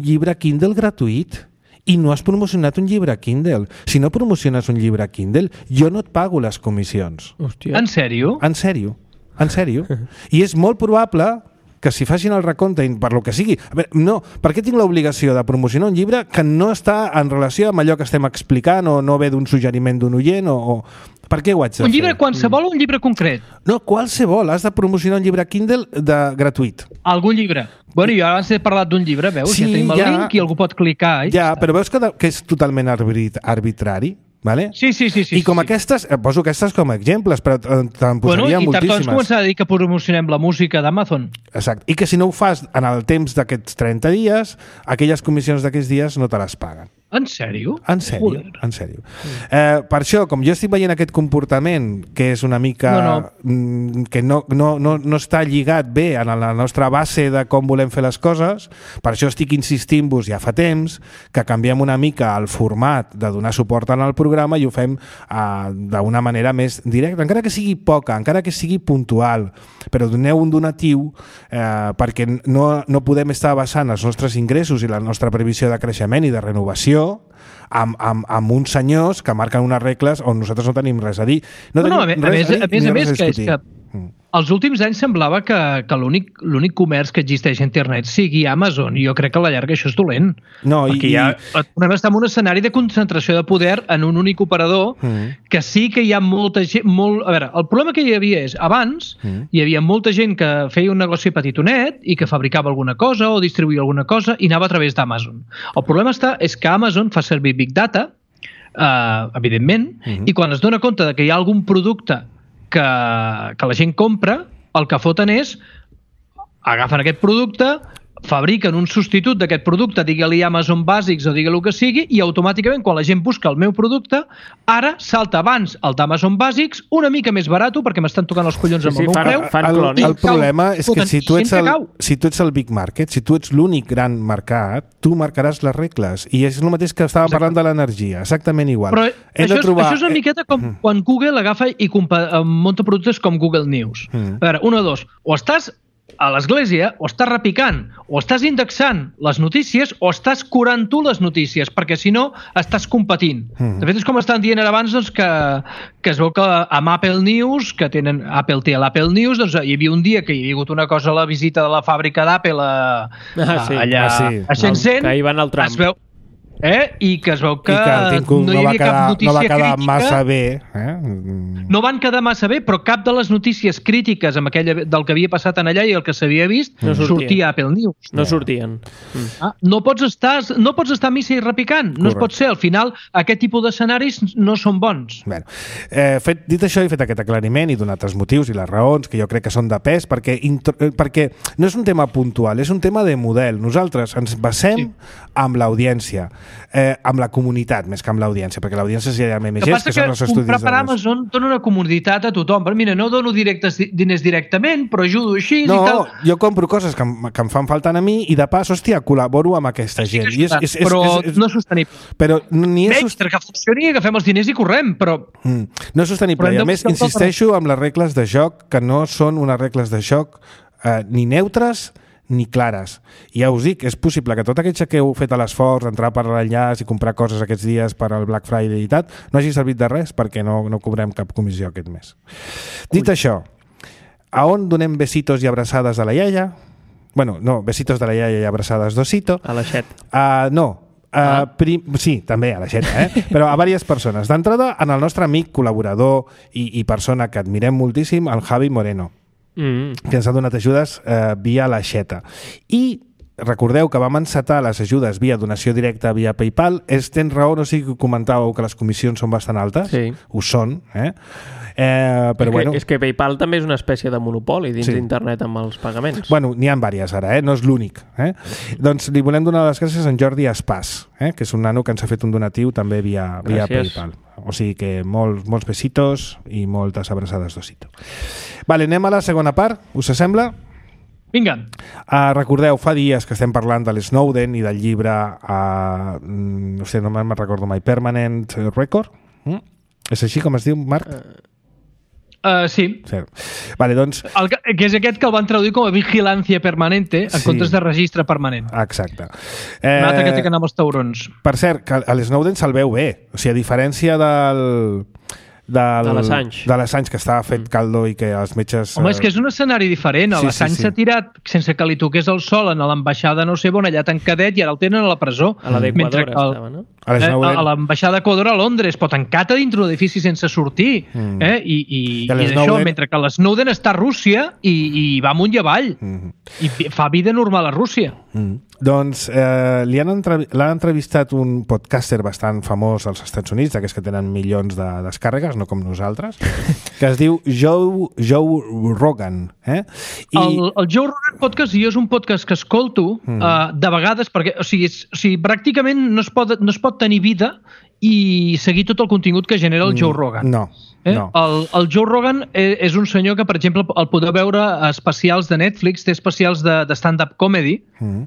llibre Kindle gratuït i no has promocionat un llibre Kindle. Si no promociones un llibre Kindle, jo no et pago les comissions. Hòstia. En sèrio? En sèrio. En sèrio. I és molt probable que si facin el recompte, per lo que sigui... A veure, no, per què tinc l'obligació de promocionar un llibre que no està en relació amb allò que estem explicant o no ve d'un suggeriment d'un oient o... Per què ho haig de fer? Un llibre qualsevol o un llibre concret? No, qualsevol. Has de promocionar un llibre Kindle gratuït. Algun llibre. Bueno, jo abans he parlat d'un llibre, veus? Sí, ja tenim el link i algú pot clicar. Ja, però veus que és totalment arbitrari? Vale? Sí. I com aquestes, poso aquestes com a exemples, però te'n posaria moltíssimes. I tard doncs començarà a dir que promocionem la música d'Amazon. Exacte. I que si no ho fas en el temps d'aquests 30 dies, aquelles comissions d'aquests dies no te les paguen. En sèrio? En sèrio, en sèrio. Per això, com jo estic veient aquest comportament que és una mica... que no està lligat bé a la nostra base de com volem fer les coses, per això estic insistint-vos ja fa temps que canviem una mica el format de donar suport en el programa i ho fem d'una manera més directa, encara que sigui poca, encara que sigui puntual, però doneu un donatiu perquè no podem estar basant els nostres ingressos i la nostra previsió de creixement i de renovació amb uns senyors que marquen unes regles on nosaltres no tenim res a dir. A més, que és que els últims anys semblava que l'únic comerç que existeix a internet sigui Amazon, i jo crec que a la llarga això és dolent. No, podem estar en un escenari de concentració de poder en un únic operador que sí que hi ha molta gent... A veure, el problema que hi havia és, abans hi havia molta gent que feia un negoci petitonet i que fabricava alguna cosa o distribuïa alguna cosa i anava a través d'Amazon. El problema és que Amazon fa servir Big Data, evidentment, i quan es dona compte de que hi ha algun producte que la gent compra, el que foten és agafen aquest producte, fabriquen un substitut d'aquest producte, digue-li Amazon Basics o digue-li el que sigui, i automàticament quan la gent busca el meu producte, ara salta abans el d'Amazon Basics una mica més barat perquè m'estan tocant els collons amb el meu preu. El problema és que si tu ets el Big Market, si tu ets l'únic gran mercat, tu marcaràs les regles, i és el mateix que estàvem parlant de l'energia, exactament igual. Però això és una miqueta com quan Google agafa i munta productes com Google News. A veure, una o dos, o estàs a l'església, o estàs repicant, o estàs indexant les notícies, o estàs curant tu les notícies, perquè si no estàs competint. De fet, és com estan dient ara abans doncs, que es veu que amb Apple News, que tenen Apple té l'Apple News, doncs hi havia un dia que hi havia hagut una cosa a la visita de la fàbrica d'Apple allà a Shenzhen, que hi van al tram. es veu i que es veu que no hi havia cap notícia crítica. No va quedar massa bé. No van quedar massa bé, però cap de les notícies crítiques amb del que havia passat en allà i el que s'havia vist sortia a Apple News. No sortien. No pots estar a missa i repicant. No es pot ser. Al final, aquest tipus d'escenaris no són bons. Bueno, dit això, he fet aquest aclariment i donat els motius i les raons, que jo crec que són de pes, perquè no és un tema puntual, és un tema de model. Nosaltres ens basem amb l'audiència. amb la comunitat més que amb l'audiència, perquè l'audiència és ja MMGs, que són els estudis. Comprar per Amazon dona una comoditat a tothom. Però mira, no dono diners directament, però ajudo així i tal. No, jo compro coses que em fan falta a mi i de pas, hòstia, col·laboro amb aquesta gent. Però no és sostenible. Però ni és que funcioni, agafem els diners i correm, però... No és sostenible. I a més, insisteixo amb les regles de joc, que no són unes regles de joc ni neutres ni clares. I ja us dic, és possible que tot aquell que heu fet l'esforç d'entrar per l'enllaç i comprar coses aquests dies per al Black Friday i tal, no hagi servit de res perquè no cobrem cap comissió aquest mes. Dit això, a on donem besitos i abraçades a la iaia? Bueno, no, besitos de la iaia i abraçades d'osito. A la xet. No. Sí, també a la xeta, però a diverses persones. D'entrada, en el nostre amic, col·laborador i persona que admirem moltíssim, el Javi Moreno, que ens ha donat ajudes via la xeta. I recordeu que vam encetar les ajudes via donació directa via PayPal. Tens raó, no sé si comentàveu que les comissions són bastant altes. Sí. Ho són, però bueno. És que PayPal també és una espècie de monopoli dins d'internet amb els pagaments. Bueno, n'hi ha diverses ara, no és l'únic. Doncs li volem donar les gràcies a en Jordi Espàs, que és un nano que ens ha fet un donatiu també via PayPal. O sigui que molts besitos i moltes abraçades d'osito. Vale, anem a la segona part, us sembla? Vinga. Recordeu, fa dies que estem parlant de l'Snowden i del llibre no sé, no me'n recordo mai, Permanent Record? És així com es diu, Marc? Sí. Vale, doncs... que és aquest que el van traduir com a vigilància permanente en comptes de registre permanent. Exacte. Un altre que té que anar amb els taurons. Per cert, que a l'Snowden se'l veu bé. O sigui, a diferència de l'Assange, que estava fet caldo i que els metges... Home, és que és un escenari diferent. L'Assange s'ha tirat sense que li toqués el sol en l'ambaixada no sé on, allà tancadet, i ara el tenen a la presó. A la d'Equador estava, no? A l'ambaixada d'Equador a Londres, però tancat a dintre d'un edifici sense sortir. I d'això, mentre que l'Snowden està a Rússia i va amunt i avall. I fa vida normal a Rússia. Doncs l'ha entrevistat un podcaster bastant famós als Estats Units, d'aquests que tenen milions de descàrregues, no com nosaltres, que es diu Joe Rogan. El Joe Rogan Podcast jo és un podcast que escolto de vegades, perquè o sigui, pràcticament no es pot tenir vida i seguir tot el contingut que genera el Joe Rogan. No. El Joe Rogan és un senyor que, per exemple, el podeu veure a especials de Netflix, té especials de stand-up comedy,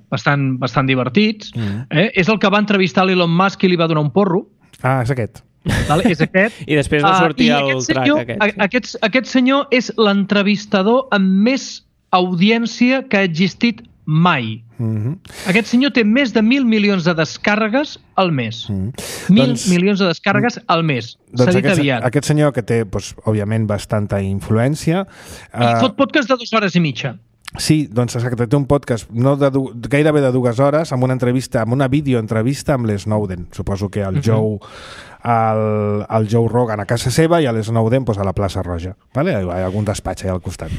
bastant divertits. És el que va entrevistar l'Elon Musk i li va donar un porro. És aquest. Vale, és aquest. I després va sortir el track aquest. Aquest senyor és l'entrevistador amb més audiència que ha existit mai. Aquest senyor té més de 1.000 milions de descàrregues al mes. 1.000 milions de descàrregues al mes. S'ha dit aviat. Aquest senyor que té, òbviament, bastanta influència... I fot podcast de 2 hores i mitja. Sí, doncs exacte, té un podcast gairebé de 2 hores amb una entrevista, amb una videoentrevista amb l'Snowden. Suposo que el Joe Joe Rogan a casa seva i l'Snowden a la plaça Roja. Vale? Hi ha algun despatx allà al costat.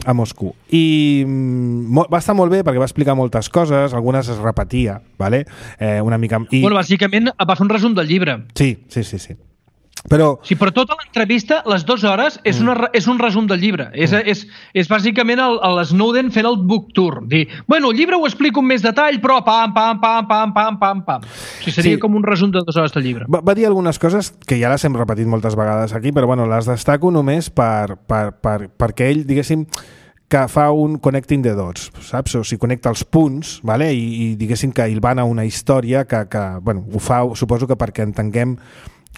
A Moscou. I va estar molt bé perquè va explicar moltes coses, algunes es repetia, vale? Una mica... Bueno, bàsicament va fer un resum del llibre. Sí. Però tota l'entrevista, les 2 hores, és un resum del llibre. És bàsicament l'Snowden fent el book tour. Dir, bueno, el llibre ho explico amb més detall, però pam. O sigui, seria com un resum de 2 hores del llibre. Va dir algunes coses que ja les hem repetit moltes vegades aquí, però bueno, les destaco només perquè ell, diguéssim, que fa un connecting the dots, saps? O sigui, connecta els punts, vale? I diguéssim que hilvana una història que bueno, ho fa, suposo que perquè entenguem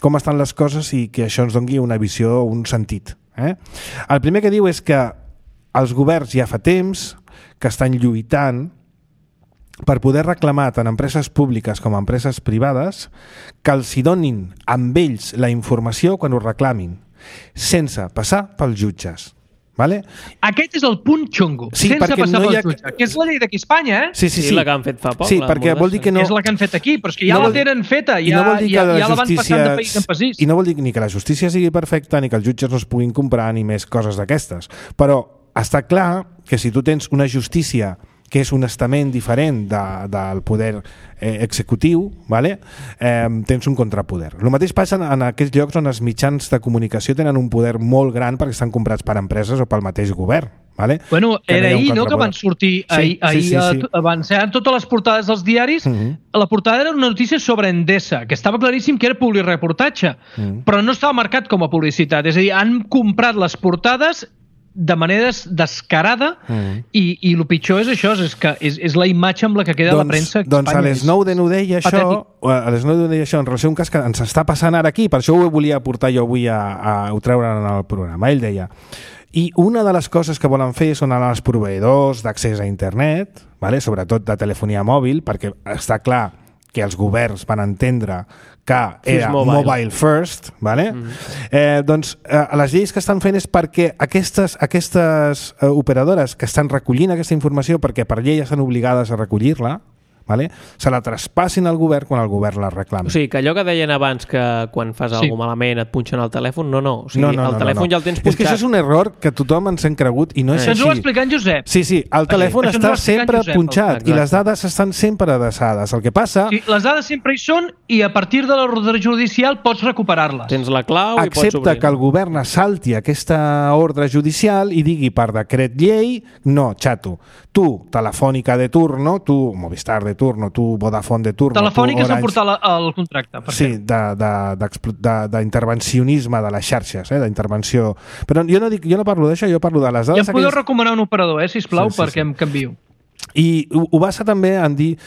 com estan les coses i que això ens doni una visió, un sentit. El primer que diu és que els governs ja fa temps que estan lluitant per poder reclamar tant empreses públiques com empreses privades que els hi donin amb ells la informació quan ho reclamin, sense passar pels jutges. Vale? Aquest és el punt xungo, sense passar pel jutge, que és la llei d'aquí a Espanya, Sí, la que han fet fa poc. Sí, perquè vol dir que no... És la que han fet aquí, però és que ja la tenen feta, ja la van passant de país en país. I no vol dir ni que la justícia sigui perfecta, ni que els jutges no es puguin comprar, ni més coses d'aquestes. Però està clar que si tu tens una justícia que és un estament diferent del poder executiu, vale? Tens un contrapoder. El mateix passa en aquests llocs on els mitjans de comunicació tenen un poder molt gran perquè estan comprats per empreses o pel mateix govern. Vale? Bueno, era ahir, no?, que van sortir ahir van ser totes les portades dels diaris. La portada era una notícia sobre Endesa, que estava claríssim que era publireportatge, però no estava marcat com a publicitat. És a dir, han comprat les portades de manera descarada i el pitjor és això, és que és la imatge amb la que queda la premsa. Doncs a l'Snowden ho deia això en relació a un cas que ens està passant ara aquí, per això ho volia portar jo avui a treure en el programa. Ell deia: i una de les coses que volen fer són anar als proveïdors d'accés a internet, vale? Sobretot de telefonia mòbil, perquè està clar que els governs van entendre que era mobile first, vale? Doncs les lleis que estan fent és perquè aquestes operadores que estan recollint aquesta informació, perquè per llei estan obligades a recollir-la, vale? Se la traspassin al govern quan el govern la reclama. O sigui, que allò que deien abans, que quan fas alguna malament et punxen el telèfon, no. O sigui, el telèfon ja el tens punxat. És que això és un error que tothom ens hem cregut i no és així. Això ens ho va explicar en Josep. Sí, el telèfon està sempre punxat i les dades estan sempre adreçades. El que passa... Sí, les dades sempre hi són i a partir de l'ordre judicial pots recuperar-les. Tens la clau i pots obrir. Excepte que el govern assalti aquesta ordre judicial i digui per decret llei: no, xato, tu, Telefònica de turno, tu, Movistar de turno, tu, Vodafone de turno... Telefònica s'ha portat el contracte. Sí, d'intervencionisme de les xarxes, d'intervenció. Però jo no parlo d'això, jo parlo de les dades... Ja em podeu recomanar un operador, sisplau, perquè em canvio. I ho basa també en dir,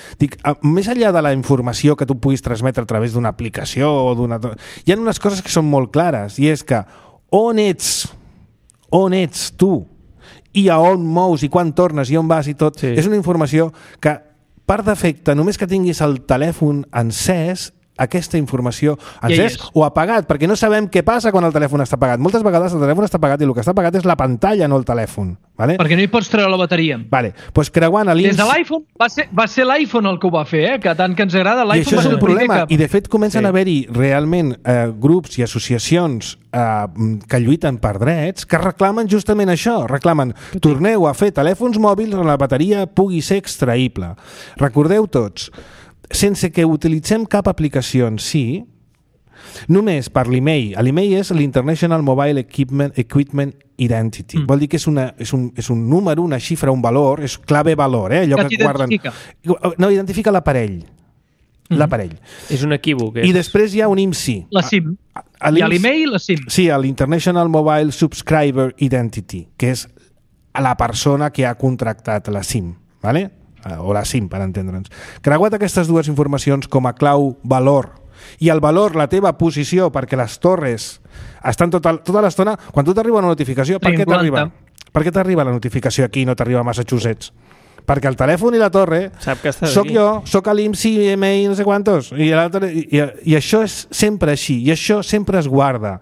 més enllà de la informació que tu puguis transmetre a través d'una aplicació o d'una... Hi ha unes coses que són molt clares, i és que on ets tu i a on mous i quan tornes i on vas i tot, és una informació que per defecte, només que tinguis el telèfon encès, aquesta informació encès o apagat, perquè no sabem què passa quan el telèfon està apagat. Moltes vegades el telèfon està apagat i el que està apagat és la pantalla, no el telèfon. Vale? Perquè no hi pots treure la bateria. Vale. Pues creuant a des de l'iPhone, va ser l'iPhone el que ho va fer, que tant que ens agrada l'iPhone. I això és un problema, i de fet comencen a haver-hi realment grups i associacions que lluiten per drets, que reclamen justament això, reclamen: torneu a fer telèfons mòbils on la bateria pugui ser extraïble. Recordeu tots, sense que utilitzem cap aplicació en si, només per l'email. L'email és l'International Mobile Equipment Identity. Vol dir que és un número, una xifra, un valor, és clave-valor, allò que guarden... No, identifica l'aparell. L'aparell. És un equívoc. I després hi ha un IMSI. La SIM. Hi ha l'email i la SIM. Sí, l'International Mobile Subscriber Identity, que és la persona que ha contractat la SIM, ¿vale? O la SIM, per entendre'ns. Creuat aquestes dues informacions com a clau valor, i el valor, la teva posició, perquè les torres estan tota l'estona... Quan tu t'arriba una notificació, per què t'arriba? Per què t'arriba la notificació aquí i no t'arriba a Massachusetts? Perquè el telèfon i la torre soc jo, soc a l'IMSI, email, no sé quantos, i això és sempre així, i això sempre es guarda.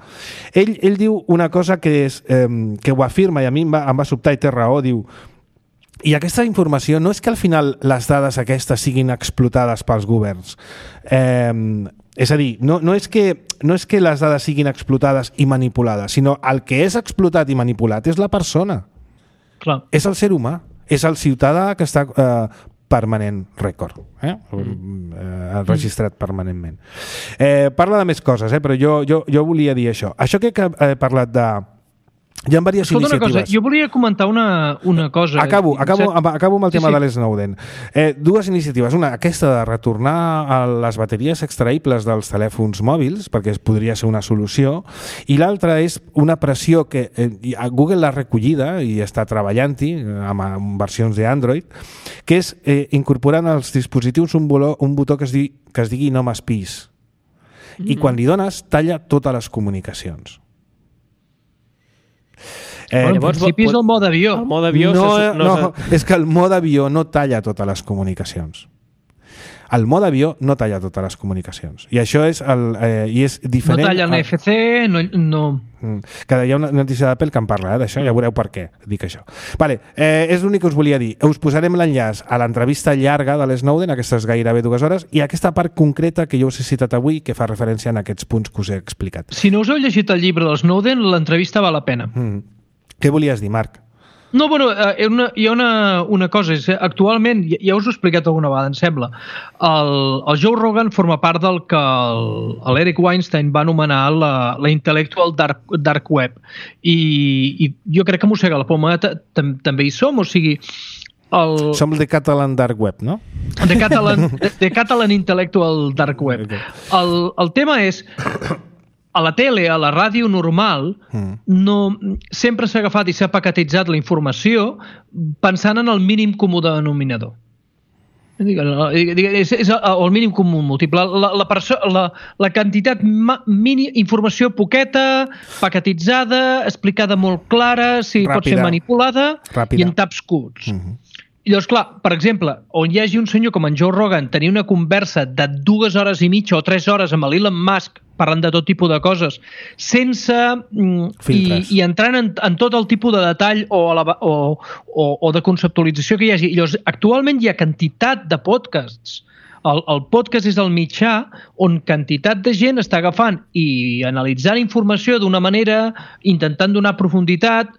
Ell diu una cosa que ho afirma, i a mi em va sobtar i té raó, diu: i aquesta informació no és que al final les dades aquestes siguin explotades pels governs. És a dir, no és que les dades siguin explotades i manipulades, sinó el que és explotat i manipulat és la persona. Clar. És el ser humà, és el ciutadà que està permanent record, registrat permanentment. Parla de més coses, però jo volia dir això. Això que he parlat de... Hi ha diverses iniciatives. Una cosa, jo volia comentar una cosa. Acabo amb el tema de l'Snowden. Dues iniciatives. Una, aquesta de retornar a les bateries extraïbles dels telèfons mòbils, perquè podria ser una solució, i l'altra és una pressió que Google l'ha recollida i està treballant-hi amb versions d'Android, que és incorporant als dispositius un botó que es digui no m'espiïs. I quan li dones, talla totes les comunicacions. En principi és el mode avió. El mode avió és que el mode avió no talla totes les comunicacions. El mode avió no talla totes les comunicacions. I això és diferent... No talla NFC, no... Que hi ha una notícia d'Apple que en parla d'això, ja veureu per què dic això. Vale, és l'únic que us volia dir. Us posarem l'enllaç a l'entrevista llarga de l'Snowden, aquestes gairebé 2 hores, i aquesta part concreta que jo us he citat avui, que fa referència a aquests punts que us he explicat. Si no us heu llegit el llibre del Snowden, l'entrevista val la pena. Què volies dir, Marc? No, bueno, hi ha una cosa. Actualment, ja us ho he explicat alguna vegada, em sembla, el Joe Rogan forma part del que l'Eric Weinstein va anomenar la intellectual dark web. I jo crec que mossega la poma també hi som, o sigui... Som el The Catalan Dark Web, no? The Catalan Intellectual Dark Web. Okay. El tema és... A la tele, a la ràdio normal, sempre s'ha agafat i s'ha paquetitzat la informació pensant en el mínim comú denominador. És el mínim comú múltiple. La quantitat informació poqueta, paquetitzada, explicada molt clara, si pot ser manipulada, i en taps curts. I llavors, clar, per exemple, on hi hagi un senyor com en Joe Rogan tenir una conversa de 2 hores i mitja o 3 hores amb l'Elon Musk parlant de tot tipus de coses, sense... i entrant en tot el tipus de detall o de conceptualització que hi hagi. I llavors, actualment hi ha quantitat de podcasts. El podcast és el mitjà on quantitat de gent està agafant i analitzant informació d'una manera, intentant donar profunditat,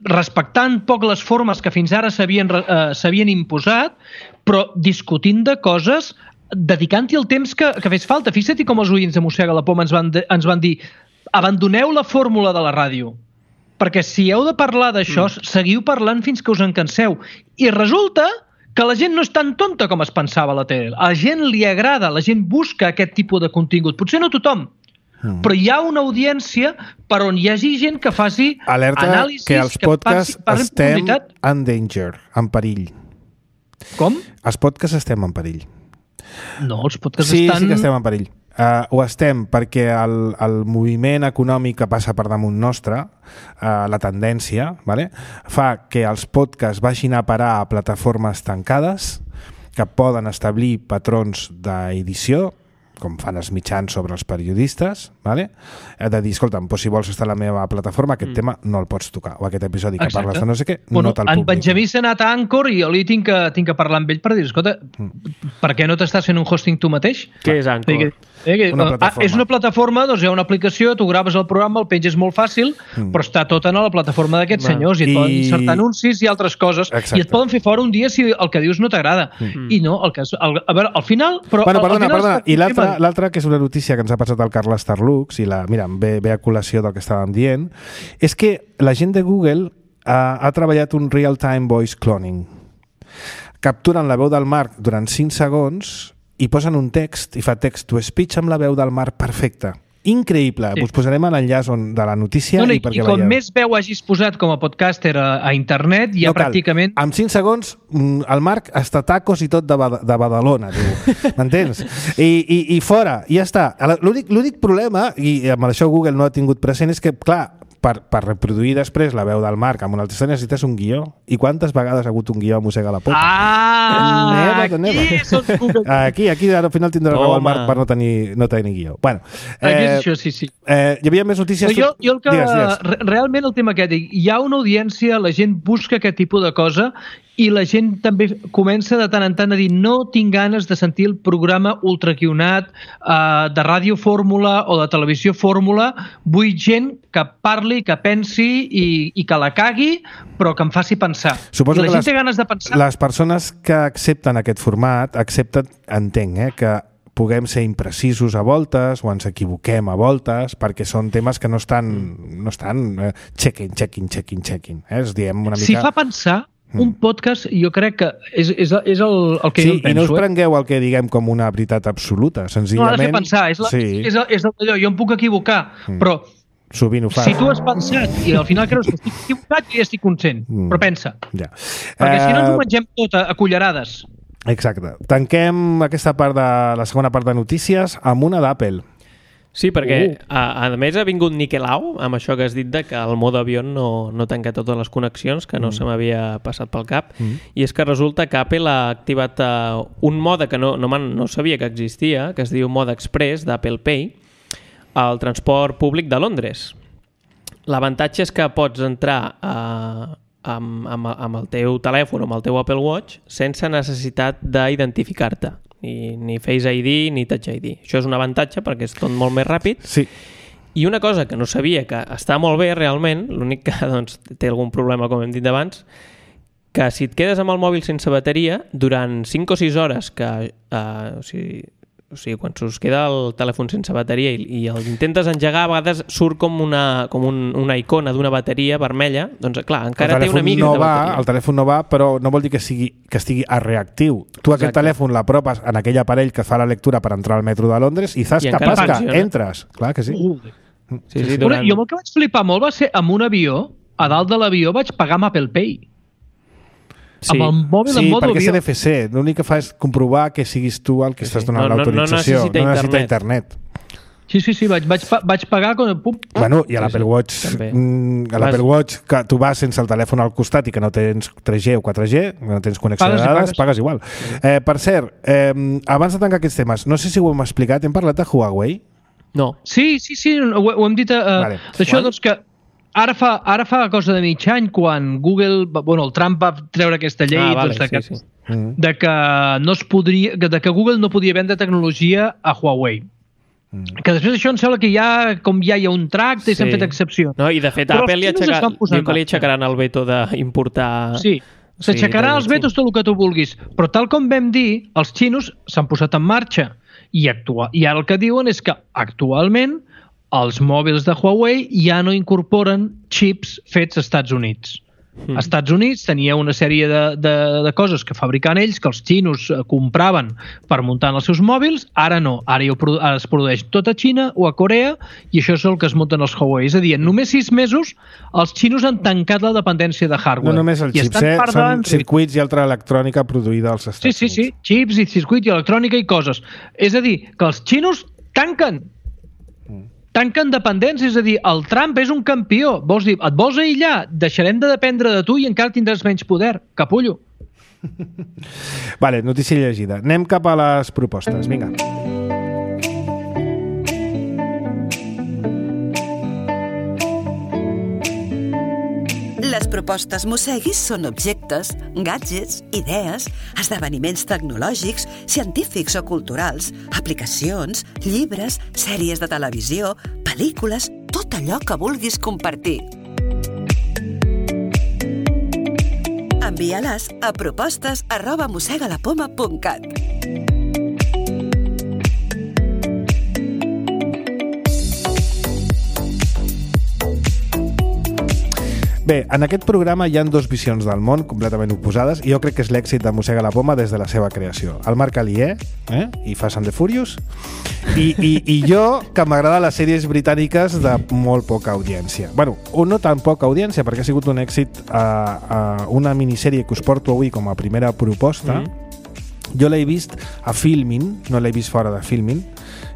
respectant poc les formes que fins ara s'havien imposat, però discutint de coses, dedicant-hi el temps que fes falta. Fixa't com els oients de Mossega la Poma ens van dir abandoneu la fórmula de la ràdio, perquè si heu de parlar d'això, seguiu parlant fins que us en canseu. I resulta que la gent no és tan tonta com es pensava a la tele. A la gent li agrada, la gent busca aquest tipus de contingut. Potser no tothom, però hi ha una audiència per on hi hagi gent que faci anàlisis... que els podcasts estem en danger, en perill. Com? Els podcasts estem en perill. No, els podcasts estan... Sí que estem en perill. Ho estem perquè el moviment econòmic que passa per damunt nostre, la tendència, fa que els podcasts vagin a parar a plataformes tancades que poden establir patrons d'edició, com fan els mitjans sobre els periodistes, de dir, escolta'm, si vols estar a la meva plataforma, aquest tema no el pots tocar, o aquest episodi que parles de no sé què, no te'l publico. En Benjamí s'ha anat a Anchor i jo li tinc que parlar amb ell per dir, escolta, per què no t'estàs fent un hosting tu mateix? Què és Anchor? És una plataforma, doncs hi ha una aplicació, tu graves el programa, el penges molt fàcil, però està tot en la plataforma d'aquests senyors i et poden insertar anuncis i altres coses, i et poden fer fora un dia si el que dius no t'agrada. I no, a veure, al final... Perdona, i l'altra, que és una notícia que ens ha passat al Carles Tarlux, i mira, ve a col·lació del que estàvem dient, és que la gent de Google ha treballat un real-time voice cloning. Capturen la veu del Marc durant 5 segons i posen un text, i fa text-to-speech amb la veu del Marc perfecta. Increïble. Us posarem l'enllaç de la notícia i perquè veieu. I com més veu hagis posat com a podcaster a internet, ja pràcticament... En 5 segons, el Marc està tacos i tot de Badalona, m'entens? I fora, i ja està. L'únic problema, i amb això Google no ha tingut present, és que, clar, per reproduir després la veu del Marc amb un altre necessites un guió. I quantes vegades ha hagut un guió a Mossega la Pota? Aquí al final tindrà raó el Marc per no tenir guió. Bueno, això sí. Hi havia més notícies? Jo el que... Realment el tema que dic, hi ha una audiència, la gent busca aquest tipus de cosa i la gent també comença de tant en tant a dir no tinc ganes de sentir el programa ultraquionat de ràdio fórmula o de televisió fórmula, vull gent que parli, que pensi i que la cagui, però que em faci pensar. Suposo I la gent té ganes de pensar. Les persones que accepten aquest format entenc que puguem ser imprecisos a voltes o ens equivoquem a voltes perquè són temes que no estan checking. Es diem una mica... Si fa pensar, un podcast jo crec que és el que jo em penso. I no us prengueu el que diguem com una veritat absoluta, senzillament... No, ha de fer pensar, és allò, jo em puc equivocar, però sovint ho fas. Si tu has pensat i al final creus que estic equivocat, jo ja estic content, però pensa. Ja. Perquè si no ens ho mengem tot a cullerades. Exacte. Tanquem aquesta part la segona part de notícies amb una d'Apple. Sí, perquè a més ha vingut Niquelau amb això que has dit de que el mode avió no tanca totes les connexions, que no se m'havia passat pel cap, i és que resulta que Apple ha activat un mode que no sabia que existia, que es diu mode express d'Apple Pay, al transport públic de Londres. L'avantatge és que pots entrar amb el teu telèfon o amb el teu Apple Watch sense necessitat d'identificar-te. Ni Face ID ni Touch ID. Això és un avantatge perquè és tot molt més ràpid. Sí. I una cosa que no sabia, que està molt bé realment, l'únic que doncs, té algun problema, com hem dit abans, que si et quedes amb el mòbil sense bateria, durant 5 o 6 hores, que o sigui, quan us queda el telèfon sense bateria i el intentes engegar, a vegades surt com una icona d'una bateria vermella, doncs clar, encara té una mica de bateria. El telèfon no va, però no vol dir que estigui a reactiu. Tu aquest telèfon l'apropes en aquell aparell que fa la lectura per entrar al metro de Londres i saps que pasca, entres. Clar que sí. Sí, jo el que vaig flipar molt va ser amb un avió, a dalt de l'avió vaig pagar amb Apple Pay. Sí, amb el mòbil en modo perquè avió. és NFC. L'únic que fa és comprovar que siguis tu el que estàs donant l'autorització. No necessita internet. Sí, vaig pagar com... Bueno, i a l'Apple Watch, que tu vas sense el telèfon al costat i que no tens 3G o 4G, no tens connexió de dades, pagues igual. Per cert, abans de tancar aquests temes, no sé si ho hem explicat, hem parlat de Huawei? No. Sí, ho hem dit d'això, doncs que ara fa cosa de mig any quan Google, el Trump va treure aquesta llei de que no es podria, de que Google no podia vendre tecnologia a Huawei. Que després d'això em sembla que ja hi ha un tracte i s'han fet excepcions. No, i de fet Apple diu que li aixecaran el veto d'importar... Sí, s'aixecaran els vetos tot el que tu vulguis, però tal com vam dir, els xinos s'han posat en marxa i ara el que diuen és que actualment els mòbils de Huawei ja no incorporen xips fets als Estats Units. Als Estats Units tenia una sèrie de coses que fabricaven ells, que els xinos compraven per muntar en els seus mòbils, ara no. Ara es produeix tot a Xina o a Corea i això és el que es munten els Huawei. És a dir, en només 6 mesos els xinos han tancat la dependència de hardware. No només els xips, són circuits i altra electrònica produïda als Estats Units. Sí, xips i circuits i electrònica i coses. És a dir, que els xinos tanquen dependents, és a dir, el Trump és un campió. Vols dir, et vols aïllar? Deixarem de dependre de tu i encara tindràs menys poder. Capullo. Vale, notícia llegida. Anem cap a les propostes. Vinga. Les propostes Mosseguis són objectes, gadgets, idees, esdeveniments tecnològics, científics o culturals, aplicacions, llibres, sèries de televisió, pel·lícules, tot allò que vulguis compartir. Envia-les a propostes@mossegalapoma.cat. Bé, en aquest programa hi ha 2 visions del món completament oposades i jo crec que és l'èxit de Mossega la Poma des de la seva creació. El Marc Alier, i Fast and the Furious, i jo, que m'agrada les sèries britàniques de molt poca audiència. Bueno, o no tan poca audiència, perquè ha sigut un èxit una minissèrie que us porto avui com a primera proposta. Jo l'he vist a Filmin, no l'he vist fora de Filmin,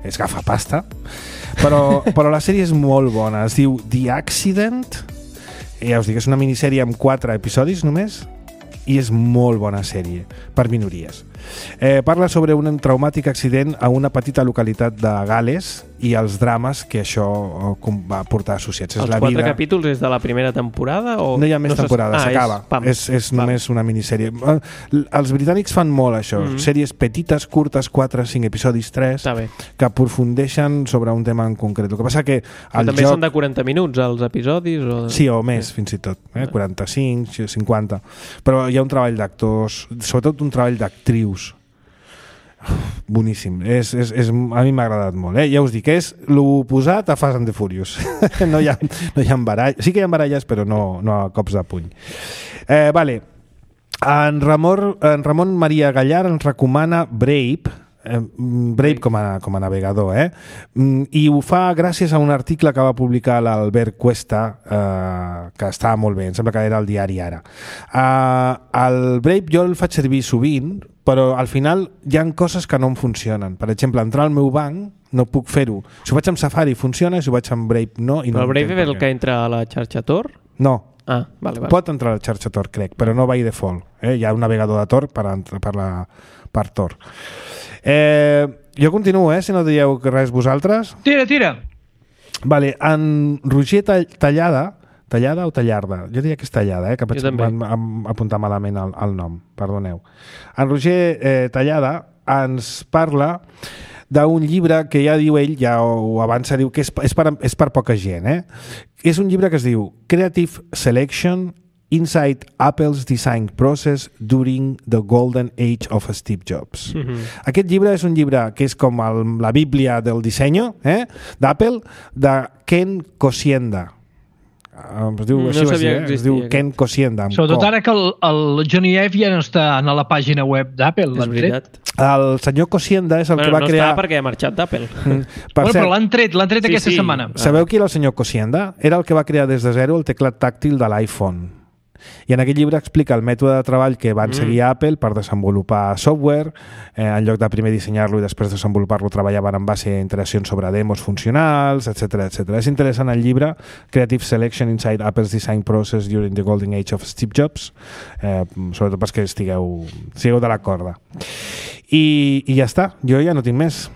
és gafapasta, però la sèrie és molt bona. Es diu The Accident. Ja us dic, és una minissèrie amb 4 episodis només i és molt bona sèrie per minories. Parla sobre un traumàtic accident a una petita localitat de Gal·les i els drames que això va portar associats. Els 4 capítols és de la primera temporada? O no hi ha més temporada, s'acaba. És només una minissèrie. Els britànics fan molt això, sèries petites, curtes, 4, 5 episodis, 3, que aprofundeixen sobre un tema en concret. El que passa que també són de 40 minuts els episodis? Sí, o més, fins i tot. 45, 50. Però hi ha un treball d'actors, sobretot un treball d'actrius boníssim. A mi m'ha agradat molt. Ja us dic, és l'oposat a Fast and the Furious. No hi ha baralles. Sí que hi ha baralles, però no a cops de puny. Vale. En Ramon Maria Gallar ens recomana Brave com a navegador, i ho fa gràcies a un article que va publicar l'Albert Cuesta, que estava molt bé, em sembla que era el diari Ara. El Brave jo el faig servir sovint, però al final hi ha coses que no em funcionen. Per exemple, entrar al meu banc no puc fer-ho. Si ho faig amb Safari funciona, si ho faig amb Brave no. Però el Brave és el que entra a la xarxa Tor? No. Vale. Pot entrar a la xarxa Tor, crec, però no by default. Hi ha un navegador de Tor per Tor. Jo continuo, si no dieu res vosaltres. Tira. Vale, en Roger Tallada o Tallarda? Jo diria que és Tallada, que vam apuntar malament el nom, perdoneu. En Roger Tallada ens parla d'un llibre que ja diu ell, ja ho avança, diu que és per poca gent. És un llibre que es diu Creative Selection Inside Apple's Design Process During the Golden Age of Steve Jobs. Aquest llibre és un llibre que és com la bíblia del disseny d'Apple, de Ken Kosienda. Es diu Ken Kosienda. Sobretot ara que el Johnny Ive ja no està a la pàgina web d'Apple. És veritat. El senyor Kosienda és el que va crear... No està perquè ha marxat d'Apple. Però l'han tret aquesta setmana. Sabeu qui era el senyor Kosienda? Era el que va crear des de zero el teclat tàctil de l'iPhone. I en aquest llibre explica el mètode de treball que van seguir a Apple per desenvolupar software. En lloc de primer dissenyar-lo i després desenvolupar-lo, treballaven en base a interaccions sobre demos funcionals, etc. És interessant el llibre Creative Selection Inside Apple's Design Process During the Golden Age of Steve Jobs, sobretot perquè sigueu de la corda. I ja està, jo ja no tinc més.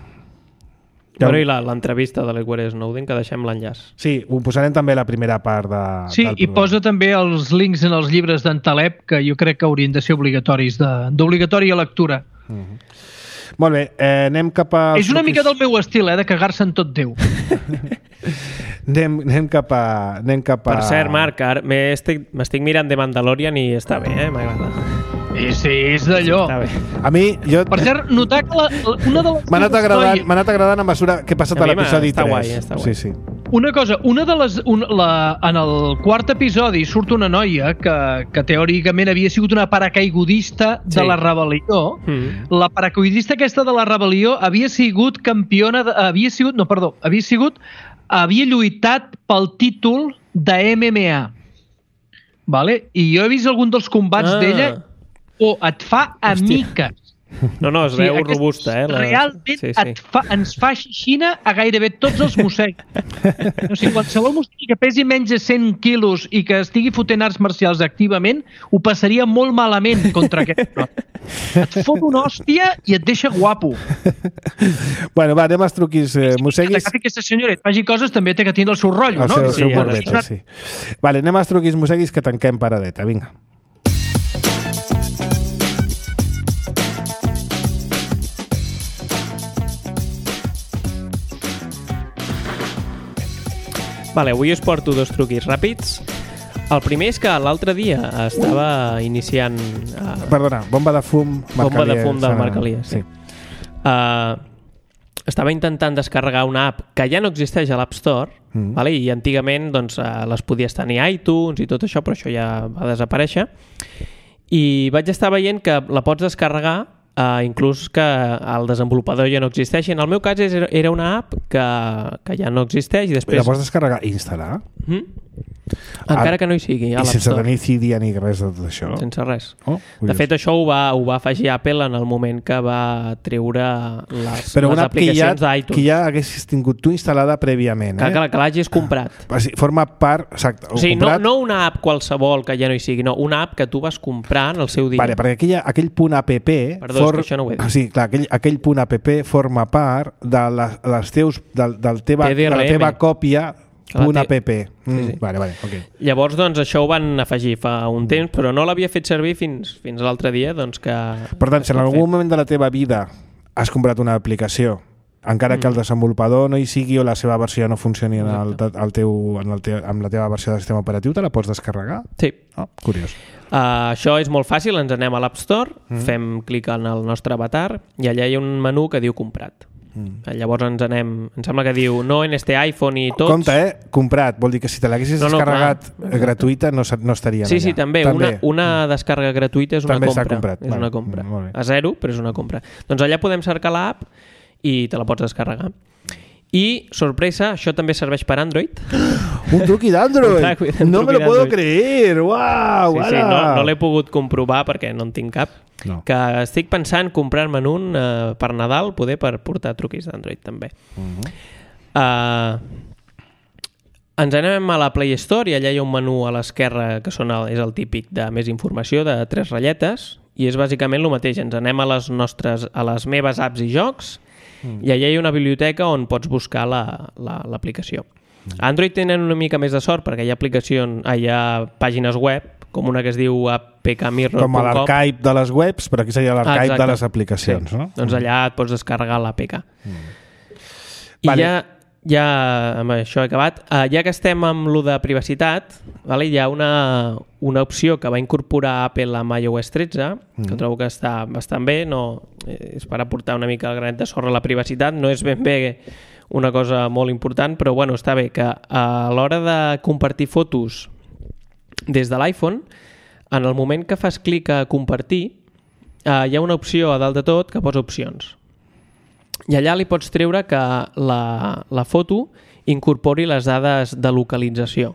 Bueno, i l'entrevista de l'Edward Snowden, que deixem l'enllaç. Sí, ho posarem també a la primera part del programa. I posa també els links en els llibres d'en Taleb, que jo crec que haurien de ser obligatoris, d'obligatòria lectura. Molt bé, anem cap a... És una mica del meu estil, de cagar-se en tot Déu. Anem cap a... Per cert, Marc, m'estic mirant The Mandalorian i està bé, m'agrada. Sí, és d'allò. A mi, per cert, notar que una de les... M'ha anat agradant a mesura que he passat a l'episodi 3. Està guai. Sí. Una cosa, en el quart episodi surt una noia que teòricament havia sigut una paracaigudista de la rebel·lió. La paracaigudista aquesta de la rebel·lió havia sigut campiona... Havia lluitat pel títol de MMA. Vale? I jo he vist algun dels combats d'ella et fa a miques. No, es veu robusta, Realment ens fa xixina a gairebé tots els mossecs. O sigui, qualsevol mossec que pesi menys de 100 quilos i que estigui fotent arts marcials activament, ho passaria molt malament contra aquest. Et fot una hòstia i et deixa guapo. Bueno, va, anem als truquis mosseguis. Que aquesta senyora et faci coses també té que tenir el seu rotllo, no? El seu borbeta, sí. Vale, anem als truquis mosseguis que tanquem paradeta, vinga. Vale, avui us porto dos truquis ràpids. El primer és que l'altre dia estava iniciant... Perdona, bomba de fum del Marc Elias. Sí. Estava intentant descarregar una app que ja no existeix a l'App Store, vale? I antigament doncs, les podies tenir a iTunes i tot això, però això ja va desaparèixer. I vaig estar veient que la pots descarregar inclús que el desenvolupador ja no existeix. En el meu cas era una app que ja no existeix i després... La pots descarregar i instal·lar? Encara que no hi sigui. I sense tenir CD ni res de tot això? Sense res. De fet, això ho va afegir Apple en el moment que va treure les aplicacions d'iTunes. Que ja haguessis tingut tu instal·lada prèviament. Que l'hagis comprat. Forma part... Exacte, o sigui, no una app qualsevol que ja no hi sigui, no, una app que tu vas comprar en el seu dia. Vale, perquè aquell punt app... Perdó, és que això no ho he dit. Sí, clar, aquell punt app forma part de la teva còpia .app. Sí. Vale, ok. Llavors, doncs, això ho van afegir fa un temps, però no l'havia fet servir fins l'altre dia, doncs que... Per tant, si en algun moment de la teva vida has comprat una aplicació, encara que el desenvolupador no hi sigui o la seva versió no funcioni amb la teva versió de sistema operatiu, te la pots descarregar? Sí. Curiós. Això és molt fàcil, ens anem a l'App Store, fem clic en el nostre avatar i allà hi ha un menú que diu comprat. Llavors ens sembla que diu no en este iPhone i tots... Compte, comprat, vol dir que si te l'haguessis descarregat gratuïta no estaria allà. Sí, també. Una descàrrega gratuïta és una compra. També està comprat. És una compra. A zero, però és una compra. Doncs allà podem cercar l'app i te la pots descarregar. I, sorpresa, això també serveix per Android. Un truqui d'Android! No me lo puedo creer! Uau! Sí, no l'he pogut comprovar perquè no en tinc cap. No. Que estic pensant comprar-me'n un per Nadal, poder per portar truquis d'Android també. Ens anem a la Play Store i allà hi ha un menú a l'esquerra que és el típic de més informació, de 3 ratlletes, i és bàsicament el mateix. Ens anem a les meves apps i jocs i allà hi ha una biblioteca on pots buscar l'aplicació. Android tenen una mica més de sort perquè hi ha pàgines web com una que es diu apkmirror.com. Com a l'archive de les webs, però aquí seria l'archive de les aplicacions, sí. no? Doncs allà et pots descarregar l'APK. I Vale. ja amb això he acabat. Ja que estem amb lo de privacitat, vale, hi ha una opció que va incorporar Apple amb iOS 13, que trobo que està bastant bé, no, és per aportar una mica el granet de sorra a la privacitat, no és ben bé una cosa molt important, però bueno, està bé que a l'hora de compartir fotos des de l'iPhone, en el moment que fas clic a compartir, hi ha una opció a dalt de tot que posa opcions. I allà li pots treure que la foto incorpori les dades de localització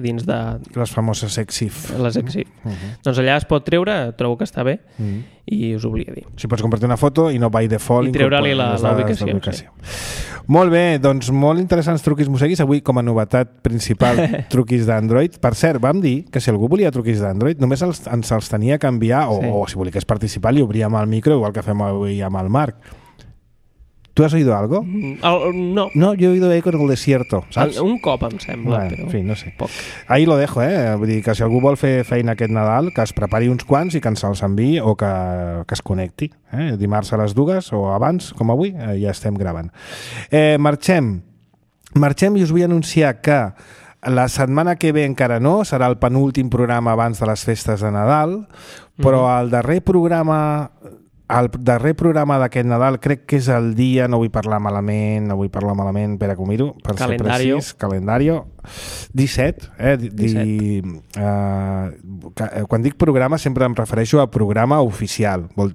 dins de... Les famoses EXIF. Les EXIF. Doncs allà es pot treure, trobo que està bé, i us ho volia dir. Si pots compartir una foto i no by default i treure-li la ubicació. Molt bé, doncs molt interessants truquis Mosseguis. Avui, com a novetat principal, truquis d'Android. Per cert, vam dir que si algú volia truquis d'Android, només ens els tenia que enviar, o si volies participar, li obríem el micro, igual que fem avui amb el Marc. ¿Tú has oído algo? No. No, yo he oído eco en el desierto, ¿sabes? Un cop, em sembla, bueno, però... En fi, no sé. Poc. Ahí lo dejo, Vull dir que si algú vol fer feina aquest Nadal, que es prepari uns quants i que ens els enviï o que es connecti. Dimarts a les 2 o abans, com avui, ja estem gravant. Marxem i us vull anunciar que la setmana que ve encara no, serà el penúltim programa abans de les festes de Nadal, però el darrer programa d'aquest Nadal crec que és el dia, no vull parlar malament, espera que ho miro, per ser precís, calendario 17, 17. Quan dic programa sempre em refereixo a programa oficial. El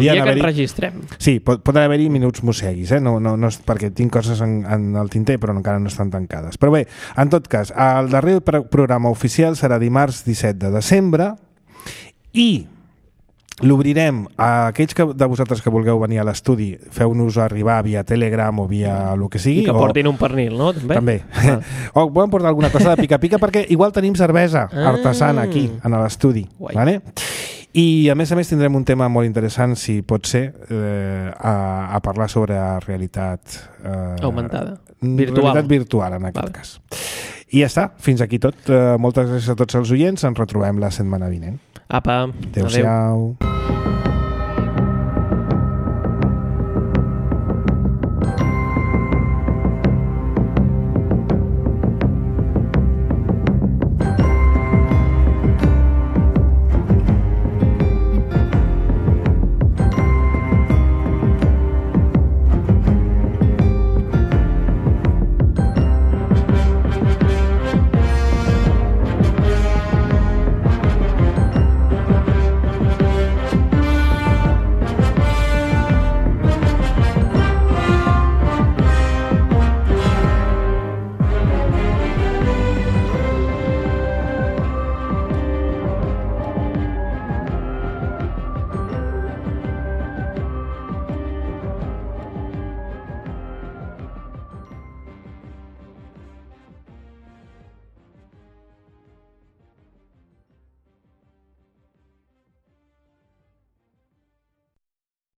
dia que enregistrem. Sí, poden haver-hi minuts Mosseguis, no és perquè tinc coses en el tinter, però encara no estan tancades. Però bé, en tot cas, el darrer programa oficial serà dimarts 17 de desembre i l'obrirem a aquells de vosaltres que vulgueu venir a l'estudi, feu-nos arribar via Telegram o via el que sigui. I que portin un pernil, no? També. O podem portar alguna cosa de pica-pica perquè igual tenim cervesa artesana aquí, en l'estudi. Vale? I a més tindrem un tema molt interessant, si pot ser, a parlar sobre realitat augmentada. Realitat virtual, en aquest cas. I ja està, fins aquí tot. Moltes gràcies a tots els oients, ens retrobem la setmana vinent. Apa, adéu-siau.